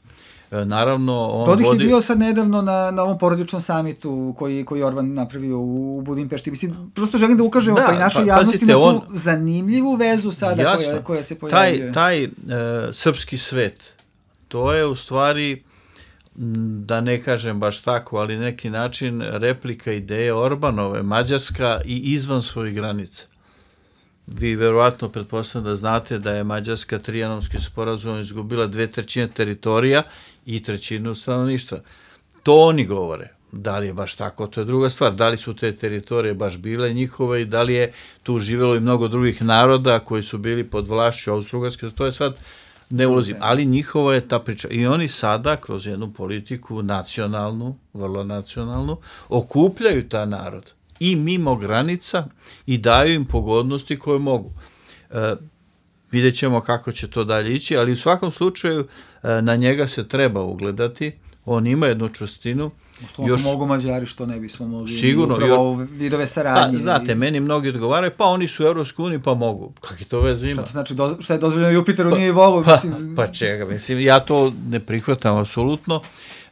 Naravno, on Dodik vodi... je bio sad nedavno na, na ovom porodičnom samitu koji, koji Orban napravio u Budimpešti. Mislim, prosto želim da ukažemo da, pa i našoj pa, javnosti na tu on... zanimljivu vezu sada jasno, koja, koja se pojavljuje. Taj, taj uh, srpski svet, to je u stvari, da ne kažem baš tako, ali neki način replika ideje Orbanove, Mađarska i izvan svojih granica. Vi verovatno pretpostavljam da znate da je Mađarska trijanomski sporazum izgubila dve trećine teritorija i trećinu stanovništva. To oni govore. Da li je baš tako, to je druga stvar. Da li su te teritorije baš bile njihove i da li je tu živjelo i mnogo drugih naroda koji su bili pod vlašću Austro-Ugarske, to je sad ne ulazim. Ali njihova je ta priča. I oni sada kroz jednu politiku nacionalnu, vrlo nacionalnu, okupljaju ta narod i mimo granica i daju im pogodnosti koje mogu. E, vidjet ćemo kako će to dalje ići, ali u svakom slučaju e, na njega se treba ugledati. On ima jednu čvrstinu. Uslovno još mogu Mađari, što ne bismo mogli. Sigurno. Upravo vidove saradnje. Pa, znate, i... meni mnogi odgovaraju, pa oni su u Evropskoj uniji, pa mogu. Kakve to veze ima? Šta to znači, do, šta je dozvoljeno Jupiteru, pa, nije i Volu? Pa, pa čega, mislim, ja to ne prihvatam apsolutno.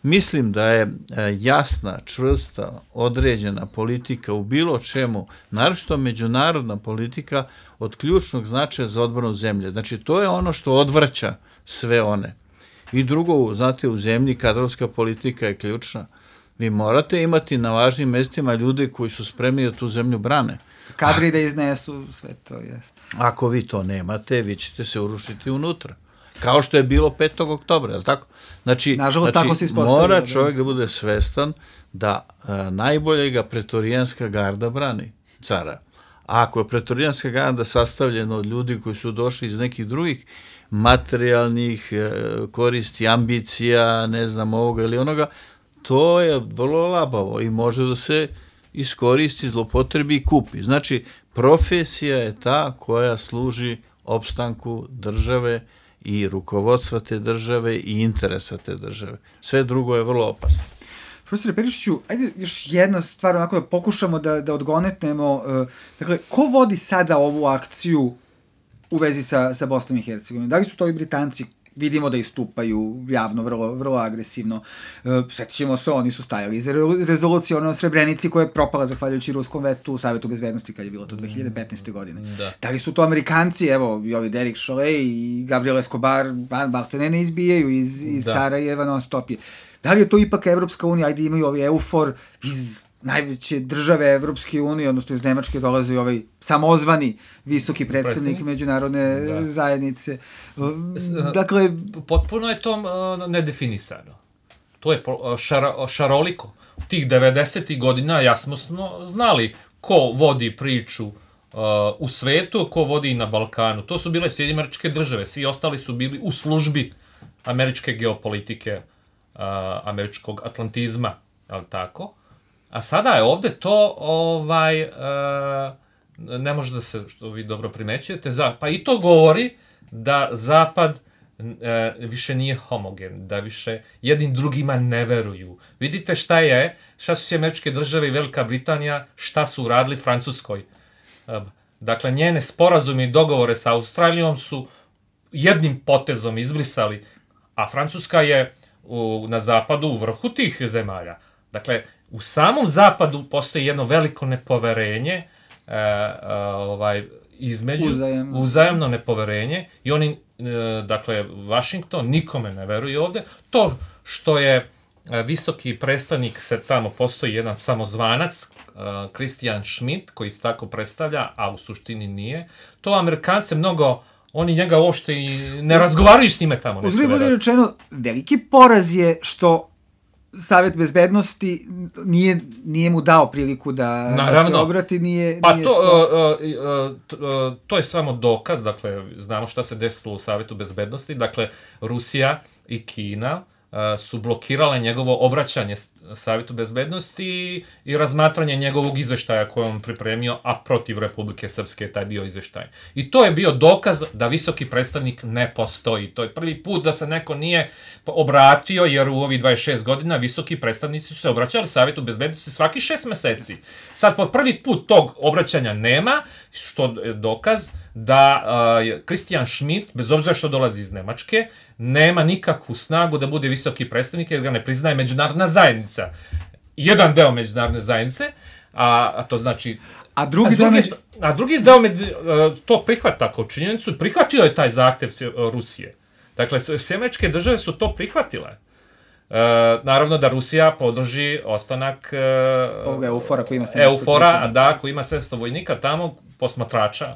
Mislim da je jasna, čvrsta, određena politika u bilo čemu, naročito međunarodna politika, od ključnog značaja za odbranu zemlje. Znači, to je ono što odvraća sve one. I drugo, znate, u zemlji kadrovska politika je ključna. Vi morate imati na važnim mestima ljude koji su spremni da tu zemlju brane. Kadri da iznesu sve to, jest. Ako vi to nemate, vi ćete se urušiti unutra. Kao što je bilo petog oktobra, je li tako? Znači, nažalost, znači tako se mora čovjek da bude svestan da a, najbolje ga pretorijanska garda brani, cara. A ako je pretorijanska garda sastavljena od ljudi koji su došli iz nekih drugih materijalnih e, koristi, ambicija, ne znam, ovoga ili onoga, to je vrlo labavo i može da se iskoristi, zlopotrebi i kupi. Znači, profesija je ta koja služi opstanku države i rukovodstva te države i interesa te države. Sve drugo je vrlo opasno. Profesore Perišiću, ajde još jedna stvar, onako da pokušamo da, da odgonetnemo. Uh, dakle, ko vodi sada ovu akciju u vezi sa, sa Bosnom i Hercegovinom? Da li su to i Britanci? Vidimo da istupaju javno, vrlo, vrlo agresivno. Uh, Sjetit ćemo se, oni su stajali za rezoluciju ono Srebrenici koja je propala zahvaljujući ruskom vetu u Savjetu bezbednosti kad je bilo to dve hiljade petnaeste. godine. Da. Da li su to Amerikanci, evo, i ovi Derek Chollet i Gabriel Escobar, Baltene ne izbijaju iz, iz Sarajeva non stop je. Da li je to ipak Evropska unija, ajde imaju ovi EUFOR iz najveće države Evropske unije, odnosno iz Nemačke dolaze i ovaj samozvani visoki predstavnik Predstavnik? međunarodne da. zajednice. Dakle, potpuno je to uh, nedefinisano. To je šar, šaroliko. Tih devedesetih godina jasno smo znali ko vodi priču uh, u svetu, ko vodi na Balkanu. To su bile Sjedinjene Američke Države, svi ostali su bili u službi američke geopolitike, Uh, američkog atlantizma, ali tako? A sada je ovde to, ovaj, uh, ne može da se, što vi dobro primećujete, za, pa i to govori da Zapad uh, više nije homogen, da više jednim drugima ne veruju. Vidite šta je, šta su Sjedinjene Američke Države i Velika Britanija, šta su uradili Francuskoj. Uh, dakle, njene sporazume i dogovore sa Australijom su jednim potezom izbrisali, a Francuska je U, na zapadu u vrhu tih zemalja. Dakle, u samom zapadu postoji jedno veliko nepoverenje, e, e, ovaj, između, uzajemno. uzajemno nepoverenje i oni, e, dakle, Washington nikome ne veruje ovde. To što je e, visoki predstavnik, se tamo postoji jedan samozvanac, e, Christian Schmidt, koji se tako predstavlja, a u suštini nije, to Amerikance mnogo oni njega uopšte i ne razgovaraju s njime tamo. Uzgled bude rečeno, veliki poraz je što Savjet bezbednosti nije, nije mu dao priliku da, da se obrati, nije... Pa nije to, uh, uh, uh, to je samo dokaz, dakle, znamo šta se desilo u Savjetu bezbednosti, dakle, Rusija i Kina su blokirale njegovo obraćanje Savjetu bezbednosti i razmatranje njegovog izveštaja koje on pripremio, a protiv Republike Srpske je taj bio izveštaj. I to je bio dokaz da visoki predstavnik ne postoji. To je prvi put da se neko nije obratio, jer u ovih dvadeset šest godina visoki predstavnici su se obraćali Savjetu bezbednosti svaki šest meseci. Sad po prvi put tog obraćanja nema, što je dokaz da Christian Schmidt, bez obzira što dolazi iz Nemačke, nema nikakvu snagu da bude visoki predstavnik, jer ga ne priznaje međunarodna zajednica. Jedan deo međunarodne zajednice, a, a to znači... A drugi, a drugi, među... a drugi deo među, to prihvata kao činjenicu, prihvatio je taj zahtev Rusije. Dakle, sve američke države su to prihvatile. E, naravno da Rusija podrži ostanak e, ovoga Eufora koji ima sedamsto Eufora, da, koji ima sedamsto vojnika tamo, posmatrača.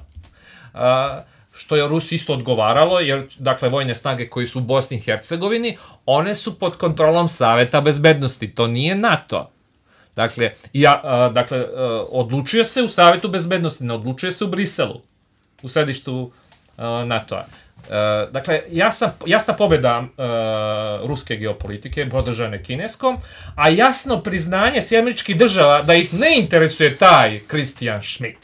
A, što je Rusiji isto odgovaralo, jer, dakle, vojne snage koji su u Bosni i Hercegovini, one su pod kontrolom Saveta bezbednosti, to nije NATO. Dakle, ja, a, dakle a, odlučuje se u Savetu bezbednosti, ne odlučuje se u Briselu, u sedištu a, NATO-a. A, dakle, jasna, jasna pobjeda a, ruske geopolitike, podržane kineskom, a jasno priznanje s američkih država da ih ne interesuje taj Christian Schmidt.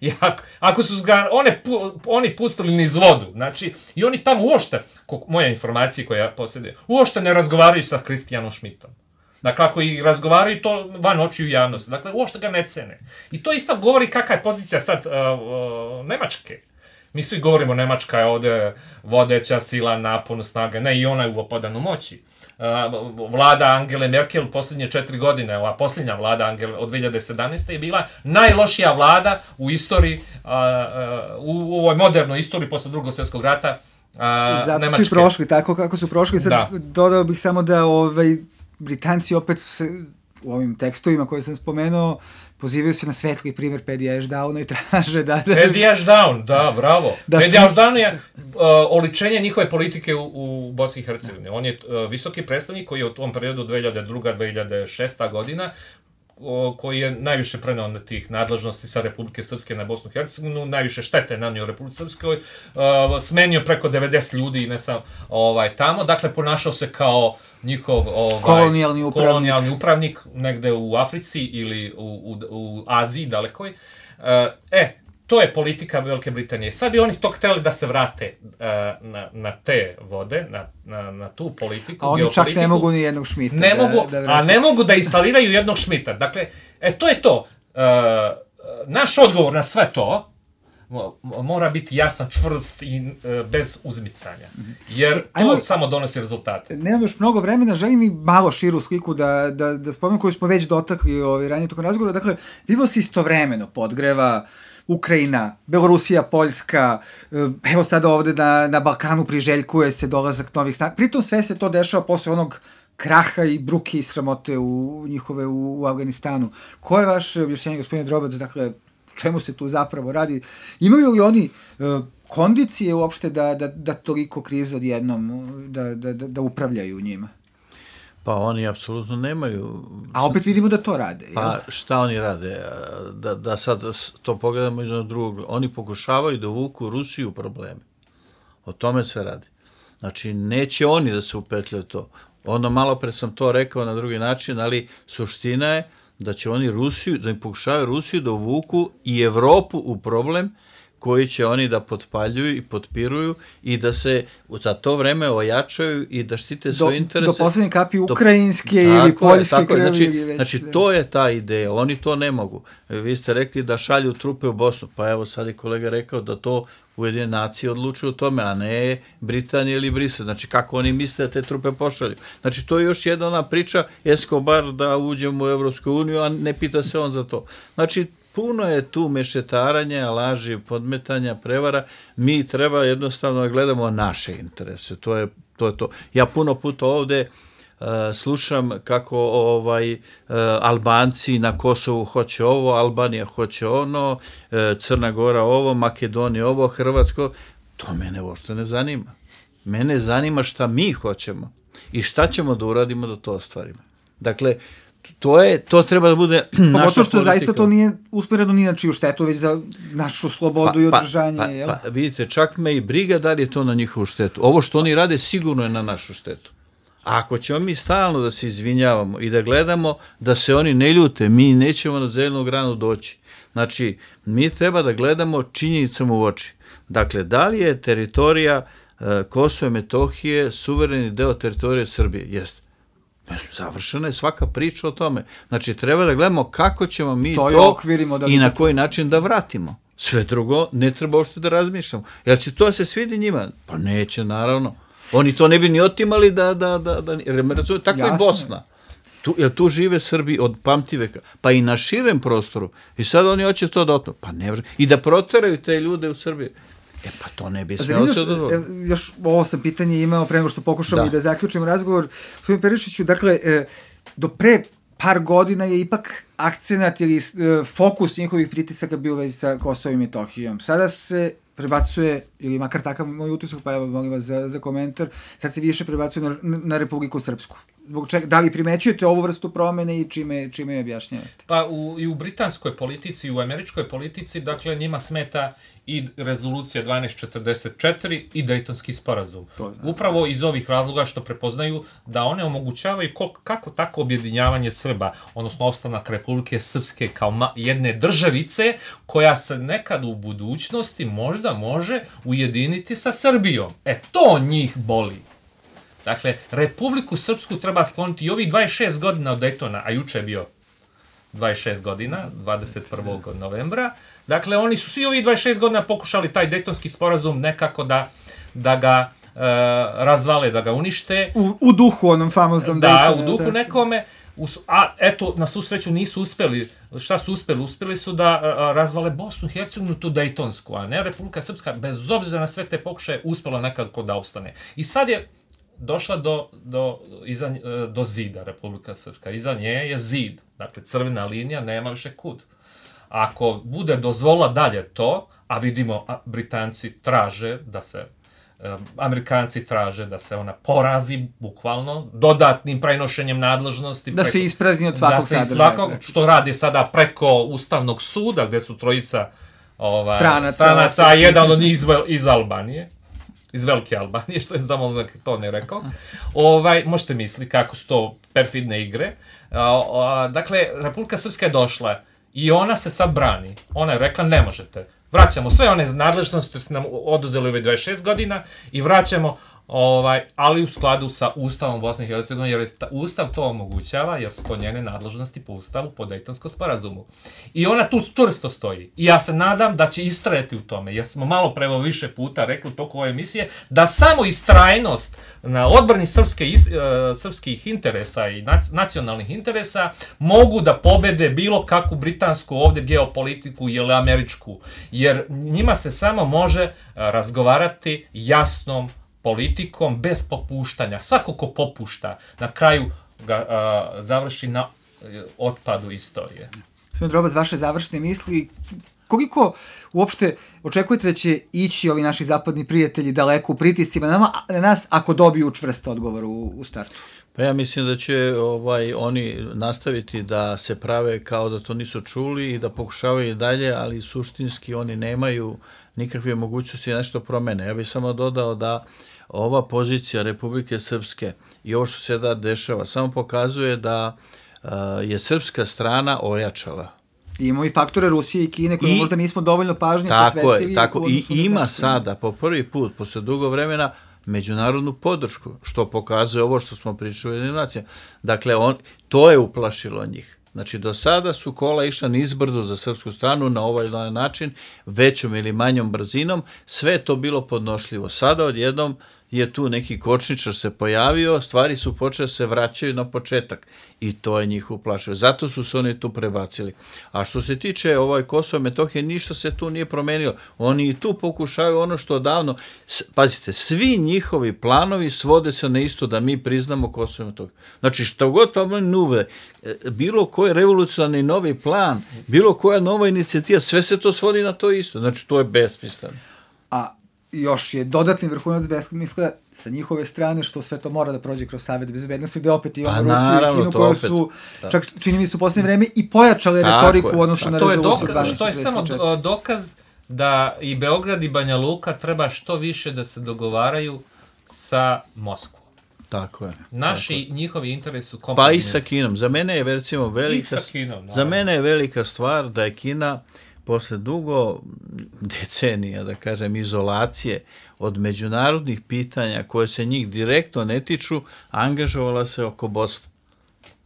I ako, ako su ga one, oni pustili niz vodu, znači, i oni tamo uopšte, moja informacija koja posjeduje, uopšte ne razgovaraju sa Christianom Schmidtom. Dakle, ako i razgovaraju, to van očiju javnosti. Dakle, uopšte ga ne cene. I to isto govori kakva je pozicija sad uh, uh, Nemačke. Mi svi govorimo Nemačka je ovde vodeća sila, napon, snaga, ne, i ona je u opadanu moći. Uh, vlada Angele Merkel u posljednje četiri godine, ova posljednja vlada Angele od dve hiljade sedamnaeste. je bila najlošija vlada u istoriji, uh, uh, u ovoj modernoj istoriji posle drugog svjetskog rata uh, Zato Nemačke. su prošli tako kako su prošli. Sad da. Dodao bih samo da ovaj, Britanci opet se, u ovim tekstovima koje sam spomenuo pozivaju se na svetli primjer Paddy Ashdowna i traže da... da... Paddy Ashdown, da, bravo. Da Paddy su... Ashdown je uh, oličenje njihove politike u, u Bosni i Hercegovini. On je uh, visoki predstavnik koji je u tom periodu dve hiljade druga do dve hiljade šesta. godina, uh, koji je najviše preneo na tih nadležnosti sa Republike Srpske na Bosnu i Hercegovinu, najviše štete nanio Republike Srpskoj, uh, smenio preko devedeset ljudi i ne sam ovaj, tamo, dakle ponašao se kao njihov ovaj, kolonijalni upravnik. kolonijalni upravnik negde u Africi ili u, u, u Aziji dalekoj. E, to je politika Velike Britanije. Sad bi oni to hteli da se vrate na, na te vode, na, na, na tu politiku. A oni čak ne mogu ni jednog Schmidta. Ne da, mogu, da a ne mogu da instaliraju jednog Schmidta. Dakle, e, to je to. E, naš odgovor na sve to mora biti jasan, čvrst i e, bez uzmicanja. Jer to Ajmo, samo donosi rezultate. Nemam još mnogo vremena, želim i malo širu sliku da, da, da spomenem koju smo već dotakli ovaj, ranije tokom razgovora. Dakle, vidio se istovremeno podgreva Ukrajina, Belorusija, Poljska, evo sada ovde na, na Balkanu priželjkuje se dolazak novih snaga. Pritom sve se to dešava posle onog kraha i bruke i sramote u njihove u, u Afganistanu. Ko je vaš objašnjenje, gospodine Drobac, dakle, čemu se tu zapravo radi? Imaju li oni uh, kondicije uopšte da, da, da toliko kriza odjednom, da, da, da, da upravljaju njima? Pa oni apsolutno nemaju... A opet vidimo da to rade. Pa jel? Šta oni rade? Da, da sad to pogledamo iz drugog. Oni pokušavaju da uvuku Rusiju u probleme. O tome se radi. Znači, neće oni da se upetljaju to. Ono, malo pre sam to rekao na drugi način, ali suština je da će oni Rusiju, da im pokušavaju Rusiju da uvuku i Evropu u problem koji će oni da potpaljuju i potpiruju i da se za to vreme ojačaju i da štite svoje interese. Do poslednje kapi ukrajinske do, ili poljske krvi. Znači, već, znači to je ta ideja, oni to ne mogu. Vi ste rekli da šalju trupe u Bosnu, pa evo sad je kolega rekao da to Ujedinjene nacije odlučuju o tome, a ne Britanija ili Brisel. Znači, kako oni misle da te trupe pošalju. Znači, to je još jedna ona priča, Escobar da uđemo u Evropsku uniju, a ne pita se on za to. Znači, puno je tu mešetaranja, laži, podmetanja, prevara. Mi treba jednostavno da gledamo naše interese. To je to. Je to. Ja puno puta ovde Uh, slušam kako ovaj uh, Albanci na Kosovu hoće ovo, Albanija hoće ono, uh, Crna Gora ovo, Makedonija ovo, Hrvatsko. To mene uopšte ne zanima. Mene zanima šta mi hoćemo i šta ćemo da uradimo da to ostvarimo. Dakle, to je, to treba da bude naša politika. Pogotovo što zaista to nije usmereno ni na čiju štetu, već za našu slobodu pa, i održanje. Pa, jel? pa, pa vidite, čak me i briga da li je to na njihovu štetu. Ovo što oni rade sigurno je na našu štetu. A ako ćemo mi stalno da se izvinjavamo i da gledamo da se oni ne ljute, mi nećemo na zelenu granu doći. Znači, mi treba da gledamo činjenicama u oči. Dakle, da li je teritorija e, Kosova i Metohije suvereni deo teritorije Srbije? Jeste. Završena je svaka priča o tome. Znači, treba da gledamo kako ćemo mi to, to i na koji način da vratimo. Sve drugo ne treba uopšte da razmišljamo. Jel će to se svidi njima? Pa neće, naravno. Oni to ne bi ni otimali da, da, da, da razumije, tako Jasne. I Bosna. Tu, jer tu žive Srbi od pamtiveka, pa i na širem prostoru. I sad oni hoće to da otme. Pa ne, i da proteraju te ljude u Srbiji. E pa to ne bi smelo se dozvoliti. Još ovo sam pitanje imao pre nego što pokušamo da. I da zaključimo razgovor. Svojim Perišiću, dakle, do pre par godina je ipak akcenat ili fokus njihovih pritisaka bio u vezi sa Kosovom i Metohijom. Sada se prebacuje, ili makar takav moj utisak, pa evo molim vas za, za komentar, sad se više prebacuje na, na Republiku Srpsku. Zbog čega, da li primećujete ovu vrstu promene i čime, čime je objašnjavate? Pa u, i u britanskoj politici, i u američkoj politici, dakle njima smeta i rezolucija dvanaest četrdeset četiri i Dejtonski sporazum. Upravo iz ovih razloga što prepoznaju da one omogućavaju kol, kako tako objedinjavanje Srba, odnosno opstanak Republike Srpske kao ma, jedne državice koja se nekad u budućnosti možda može ujediniti sa Srbijom. E, to njih boli. Dakle, Republiku Srpsku treba skloniti i ovih dvadeset šest godina od Dejtona, a juče je bio dvadeset šest godina, dvadeset prvog novembra. Dakle, oni su svi ovih dvadeset šest godina pokušali taj Dejtonski sporazum nekako da, da ga e, razvale, da ga unište. U, u duhu onom famoznom Dejtona. Da, u duhu nekome. A eto, na svu sreću nisu uspeli. Šta su uspeli? Uspeli su da a, razvale Bosnu i Hercegovinu, tu Dejtonsku, a ne Republika Srpska, bez obzira na sve te pokušaje, uspela nekako da opstane. I sad je došla do, do, iza, do zida Republika Srpska. Iza nje je zid. Dakle, crvena linija, nema više kud. Ako bude dozvolila dalje to, a vidimo, a Britanci traže da se, um, Amerikanci traže da se ona porazi, bukvalno, dodatnim prenošenjem nadležnosti. Da preko, se isprazni od svakog sadržaja. Svakog, što radi sada preko Ustavnog suda, gde su trojica ovaj, stranaca, stranaca a jedan od njih iz, iz Albanije. Iz Velike Albanije, što je zamolno da to ne rekao. Ovaj, možete misliti kako su to perfidne igre. A, a, dakle, Republika Srpska je došla i ona se sad brani. Ona je rekla, ne možete. Vraćamo sve one nadležnosti koje su nam oduzeli ove dvadeset šest godina i vraćamo, ovaj, ali u skladu sa Ustavom Bosne i Hercegovine, jer ta, Ustav to omogućava, jer su to njene nadležnosti po Ustavu, po Dejtonskom sporazumu. I ona tu čvrsto stoji. I ja se nadam da će istrajati u tome, jer smo malo prevo više puta rekli u toku ove emisije, da samo istrajnost na odbrani srpske, uh, srpskih interesa i nac, nacionalnih interesa mogu da pobede bilo kakvu britansku ovde geopolitiku ili američku. Jer njima se samo može uh, razgovarati jasnom politikom, bez popuštanja. Svako ko popušta, na kraju ga a, završi na otpadu istorije. Gospodin Drobac, vaše završne misli, koliko uopšte očekujete da će ići ovi naši zapadni prijatelji daleko u pritiscima na, nama, na nas ako dobiju čvrst odgovor u, u startu? Pa ja mislim da će ovaj oni nastaviti da se prave kao da to nisu čuli i da pokušavaju dalje, ali suštinski oni nemaju nikakve mogućnosti da nešto promene. Ja bih samo dodao da ova pozicija Republike Srpske i ovo što se da dešava samo pokazuje da uh, je srpska strana ojačala. I imamo i faktore Rusije i Kine koje I, možda nismo dovoljno pažnje posvetili. Tako je, tako i ima sada po prvi put, posle dugo vremena, međunarodnu podršku, što pokazuje ovo što smo pričali u Ujedinjenim nacijama. Dakle, on, to je uplašilo njih. Znači, do sada su kola išla nizbrdo za srpsku stranu na ovaj način, većom ili manjom brzinom, sve to bilo podnošljivo. Sada odjednom je tu neki kočničar se pojavio, stvari su počele se vraćaju na početak i to je njih uplašilo. Zato su se oni tu prebacili. A što se tiče ovaj Kosova i Metohije, ništa se tu nije promenilo. Oni i tu pokušavaju ono što davno, pazite, svi njihovi planovi svode se na isto da mi priznamo Kosovo i Metohiju. Znači, što god vam nuve, bilo koji revolucionarni novi plan, bilo koja nova inicijativa, sve se to svodi na to isto. Znači, to je besmisleno. A još je dodatni vrhunac besmisla sa njihove strane, što sve to mora da prođe kroz Savet bezbednosti, gde opet imamo Rusiju i Kinu, koje su, da. čak čini mi se u posljednje vreme, i pojačale tako retoriku u odnosu na rezoluciju dvanaest četrdeset četiri. To je samo dokaz da i Beograd i Banja Luka treba što više da se dogovaraju sa Moskvom. Tako je. Naši, tako. njihovi interesi su kompatibilni. Pa i sa Kinom. Za mene je recimo velika, Kinom, za mene je velika stvar da je Kina posle dugo decenija, da kažem, izolacije od međunarodnih pitanja koje se njih direktno ne tiču, angažovala se oko Bosne.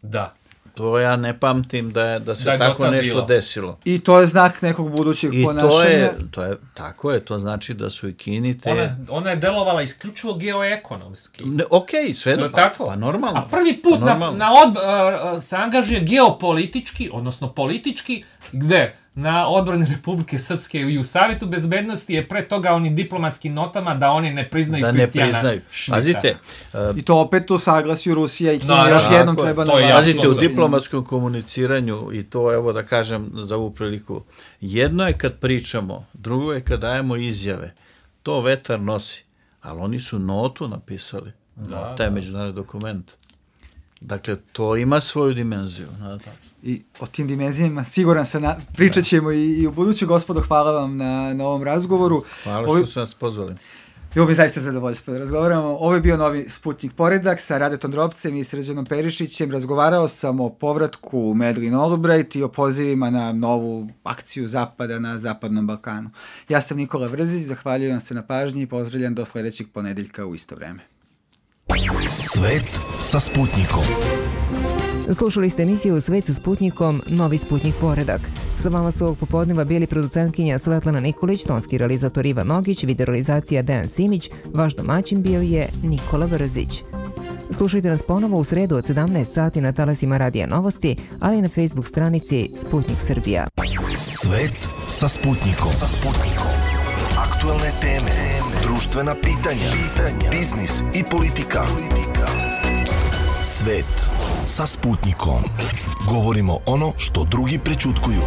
Da. To ja ne pamtim da, je, da se da je tako nešto bilo. desilo. I to je znak nekog budućeg I ponašanja. To je, to je, tako je, to znači da su i Kini te... Ona, ona je delovala isključivo geoekonomski. Ne, ok, sve no, pa, pa normalno. A prvi put pa na, na od, uh, se angažuje geopolitički, odnosno politički, gde? Na odbrani Republike Srpske i u Savjetu bezbednosti je pre toga onim diplomatskim notama da oni ne priznaju da Kristijana ne priznaju. Pazite, uh, i to opet u saglasju Rusija i Kina no, još no, jednom treba na Pazite, u diplomatskom komuniciranju i to, evo da kažem za ovu priliku, jedno je kad pričamo, drugo je kad dajemo izjave. To vetar nosi, ali oni su notu napisali da, na taj da. međunarodni dokument. Dakle, to ima svoju dimenziju. I o tim dimenzijama siguran sam, na, pričat ćemo i, i u buduću. Gospodo, hvala vam na, na ovom razgovoru. Hvala što Ovi... su nas pozvali. Bilo mi zaista zadovoljstvo da razgovaramo. Ovo je bio novi Sputnik Poredak sa Radetom Drobcem i Srđanom Perišićem. Razgovarao sam o povratku Madeleine Albright i o pozivima na novu akciju Zapada na Zapadnom Balkanu. Ja sam Nikola Vrzić, zahvaljujem vam se na pažnji i pozdravljam do sledećeg ponedeljka u isto vreme. Svet sa Sputnikom. Slušali ste emisiju Svet sa Sputnikom, novi Sputnik Poredak. Sa vama su ovog popodneva bili producentkinja Svetlana Nikolić, tonski realizator Ivan Nogić, videorealizacija Dejan Simić, vaš domaćin bio je Nikola Vrzić. Slušajte nas ponovo u sredu od sedamnaest sati na talasima Radija Novosti, ali i na Facebook stranici Sputnik Srbija. Svet sa Sputnikom. Sa Sputnikom. Aktualne teme, društvena pitanja, pitanja, biznis i politika. politika. Svet sa Sputnikom. Govorimo ono što drugi prećutkuju.